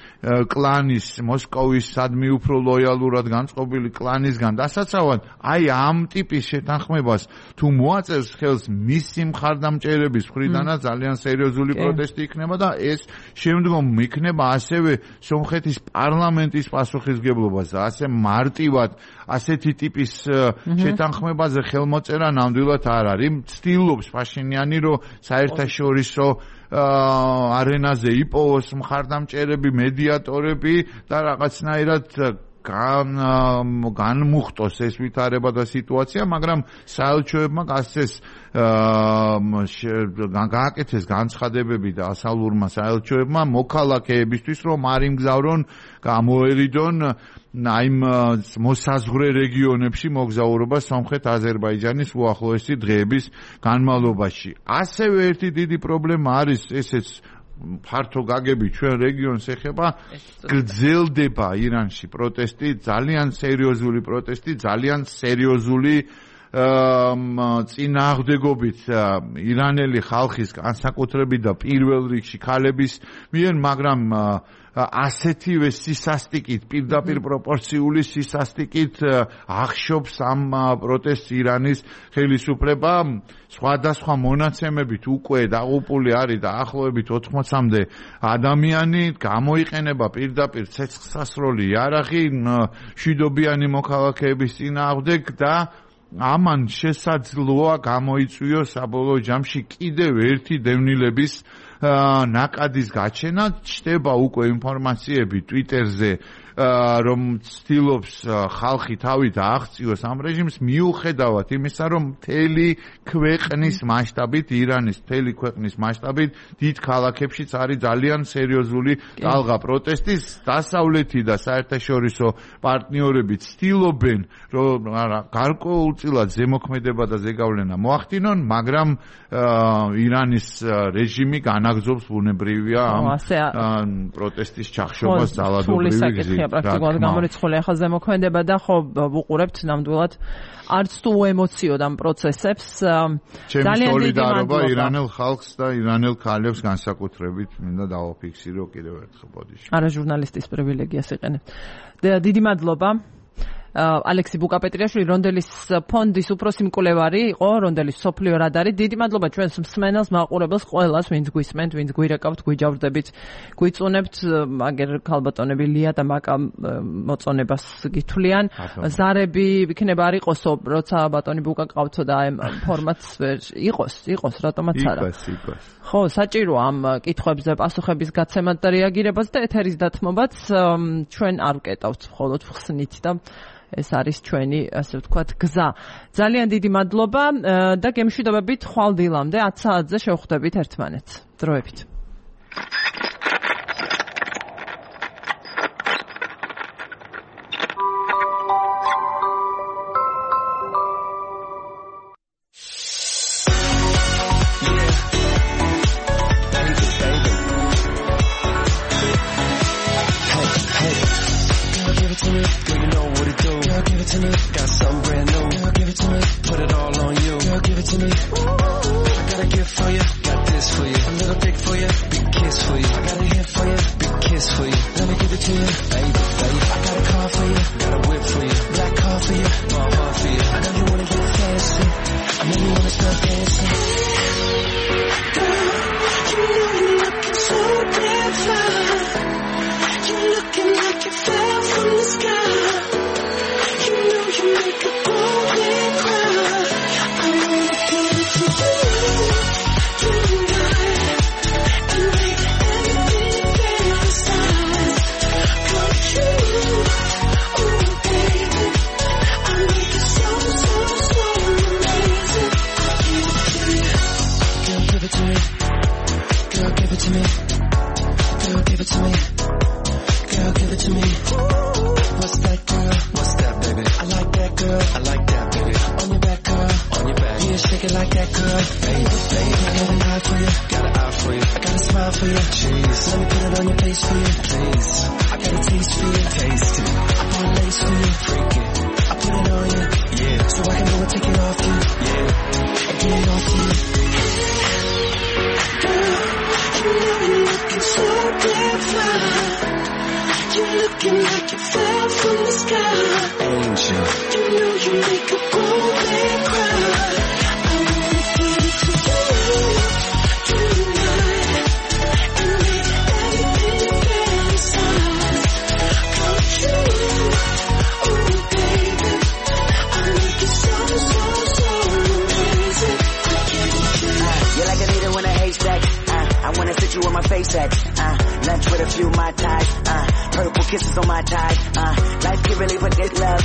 Speaker 2: კლანის, მოსკოვის სადმი უფრო ლოიალურად განწყობილი კლანისგან დასაცავად, აი ამ ტიპის შეთანხმებას თუ მოაწერს ხელს მისი მხარდამჭერების მხრიდანაც ძალიან სერიოზული პროტესტი იქნება და ეს შემდგომ იქნება ასევე სომხეთის პარლამენტის პასუხისმგებლობას და ასე მარტივად ასეთი ტიპის შეთანხმებაზე ხელმოწერა ნამდვილად არ არის. ცდილობს ფაშინიანი, რომ საერთაშორისო არენაზე იპოვოს მხარდამჭერები, მედიატორები და რაღაცნაირად განმუხტოს ეს ვითარება და სიტუაცია, მაგრამ საელჩოებმა გასცეს გააკეთეს განცხადებები და ასალურმა საელჩოებმა მოქალაქეებისთვის, რომ არ იმგზავრონ, გამოერიდონ აი მოსაზღვრე რეგიონებში მოგზაურობა სომხეთ-აზერბაიჯანის უახლოესი დღეების განმავლობაში. ასევე ერთი დიდი პრობლემა არის ესეც ფართო გაგები ჩვენ რეგიონს ეხება, გრძელდება ირანში პროტესტი, ძალიან სერიოზული პროტესტი, ძალიან სერიოზული წინააღმდეგობით ირანელი ხალხის განსაკუთრებით და პირველ რიგში ქალების მიერ, მაგრამ ასეთივე სისასტიკით, პირდაპირ პროპორციული სისასტიკით ახშობს ამ პროტესტს ირანის ხელისუფლება. სხვადასხვა მონაცემებით უკვე დაღუპული არის დაახლოებით 80-მდე ადამიანი, გამოიყენება პირდაპირ ცეცხლსასროლი იარაღი მშვიდობიანი მოქალაქეების წინააღმდეგ და ამან შესაძლოა გამოიწვიოს საბოლოო ჯამში კიდევ ერთი დევნილების ნაკადის გაჩენა. ჩნდება უკვე ინფორმაციები Twitter-ზე, რომ ცდილობს ხალხი თავი დააღწიოს ამ რეჟიმს, მიუხედავად იმისა, რომ მთელი ქვეყნის მასშტაბით, ირანის მთელი ქვეყნის მასშტაბით დიდ ქალაქებშიც არის ძალიან სერიოზული ტალღა პროტესტის. დასავლეთი და საერთაშორისო პარტნიორები ცდილობენ, რომ გარკვეულწილად ზემოქმედება და ზეგავლენა მოახდინონ, მაგრამ ირანის რეჟიმი განაგრძობს ბუნებრივია ამ პროტესტის ჩახშობას ძალადობრივი გზით.
Speaker 1: პრაქტიკულად გამორიცხული ახლა ზემოქმედება და ხო ვუყურებთ ნამდვილად არც თუ ემოციოდ ამ პროცესებს.
Speaker 2: ძალიან სოლიდარობა ირანელ ხალხს და ირანელ ქალებს განსაკუთრებით მინდა დავაფიქსირო კიდევ ერთხელ ბოდიში.
Speaker 1: არა ჟურნალისტის პრივილეგიას იყენებ. დიდი მადლობა. ალექსი ბუკაპეტრიაშვილი, რონდელის ფონდის უფროსი მკვლევარი იყო, რონდელის სოფლიო რადარი. დიდი მადლობა ჩვენს მსმენელს, მაყურებელს, ყველას, ვინც გვისმენთ, ვინც გვირეკავთ, გვიჯავრდებით, გვიწუნებთ. აგერ ქალბატონები ლია და მაკა მოწონებას გითვლიან. ზარები იქნება არ იყოსო, როცა ბატონი ბუკა ყავთო და ამ ფორმატს იყოს, რატომაც არა.
Speaker 2: იყოს.
Speaker 1: ხო, საჭიროა ამ კითხვებზე პასუხების გაცემად და რეაგირებას და ეთერის დათმობაც. ჩვენ არ ვკეტავთ მხოლოდ ხსნით და ეს არის ჩვენი, ასე ვთქვათ, გზა. ძალიან დიდი მადლობა და გემშვიდობებით ხვალ დილამდე 10 საათზე შევხვდებით ერთმანეთს. დროებით.
Speaker 6: Got something brand new. Girl, give it to me. Put it all on you. Girl, give it to me. Ooh, I got a gift for you. Got this for you. A little dick for you. Big kiss for you. I got a hit for you. Big kiss for you. Let me give it to you. Baby, baby. I got a car for you. Got a whip for you. Black car for you. Mama for you. I know you wanna get fancy. I know you wanna start dancing. Girl, you know you're looking so damn fine. You're looking like you fell from the sky. You make a grown man cry. I wanna give it to you tonight and make everything fantasize. Come true, oh baby, I make it so amazing. I give it to you. Girl, give it to me. Girl, give it to me. Girl, give it to me. Girl, give it to me. What's that, girl? What's that, baby? I like that, girl. I like that, baby. On your back, girl. On your back. Yeah, shake it like that, girl. Baby, baby. I got an eye for you. Got an eye for you. I got a smile for you. Jeez. Let me put it on your face for you. Please. I got a taste for you. Taste it. I put a lace for you. Freak it. I put it on you. Yeah. So I can go and take it off you. Yeah. I get it off you. Girl, you know you're looking so damn fine. You're looking like you fell from the sky. Angel. You know you make a grown man cry. I wanna give it to you tonight and make everything fantasize. Come true, oh baby, I make it so amazing. I give it to you.
Speaker 7: You're like a needle in a haystack. I wanna sit you on my face at. Lunch with a few Mai Tais. Purple kisses on my tie. Life can really put this love.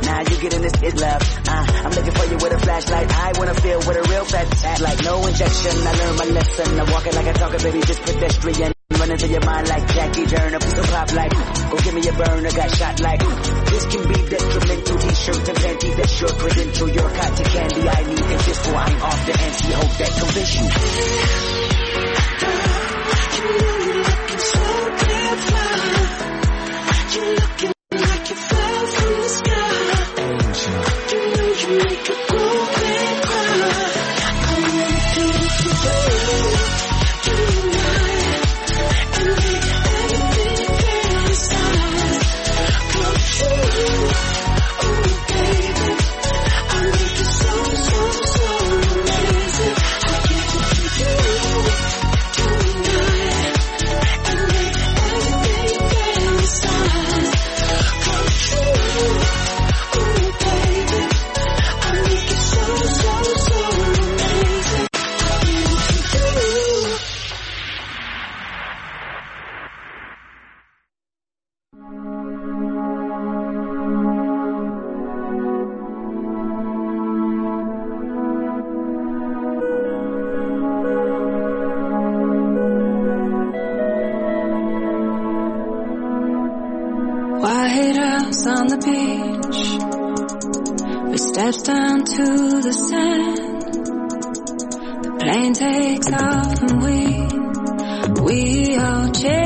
Speaker 7: Now you getting this is love. I'm looking for you with a flashlight. I wanna feel with a real fat act. Like no injection. I learned my lesson. I walk it like I talk it, baby, just pedestrian. Running through your mind like Jackie Turner. Piece of pop like, go give me a burner. Got shot like, this can be detrimental. T-shirt and panties, that's your credential. Your cotton candy, I need it just so I'm off the anti-hope that convince you.
Speaker 6: Girl, you
Speaker 8: on the beach. We steps down to the sand. The plane takes off and we all change.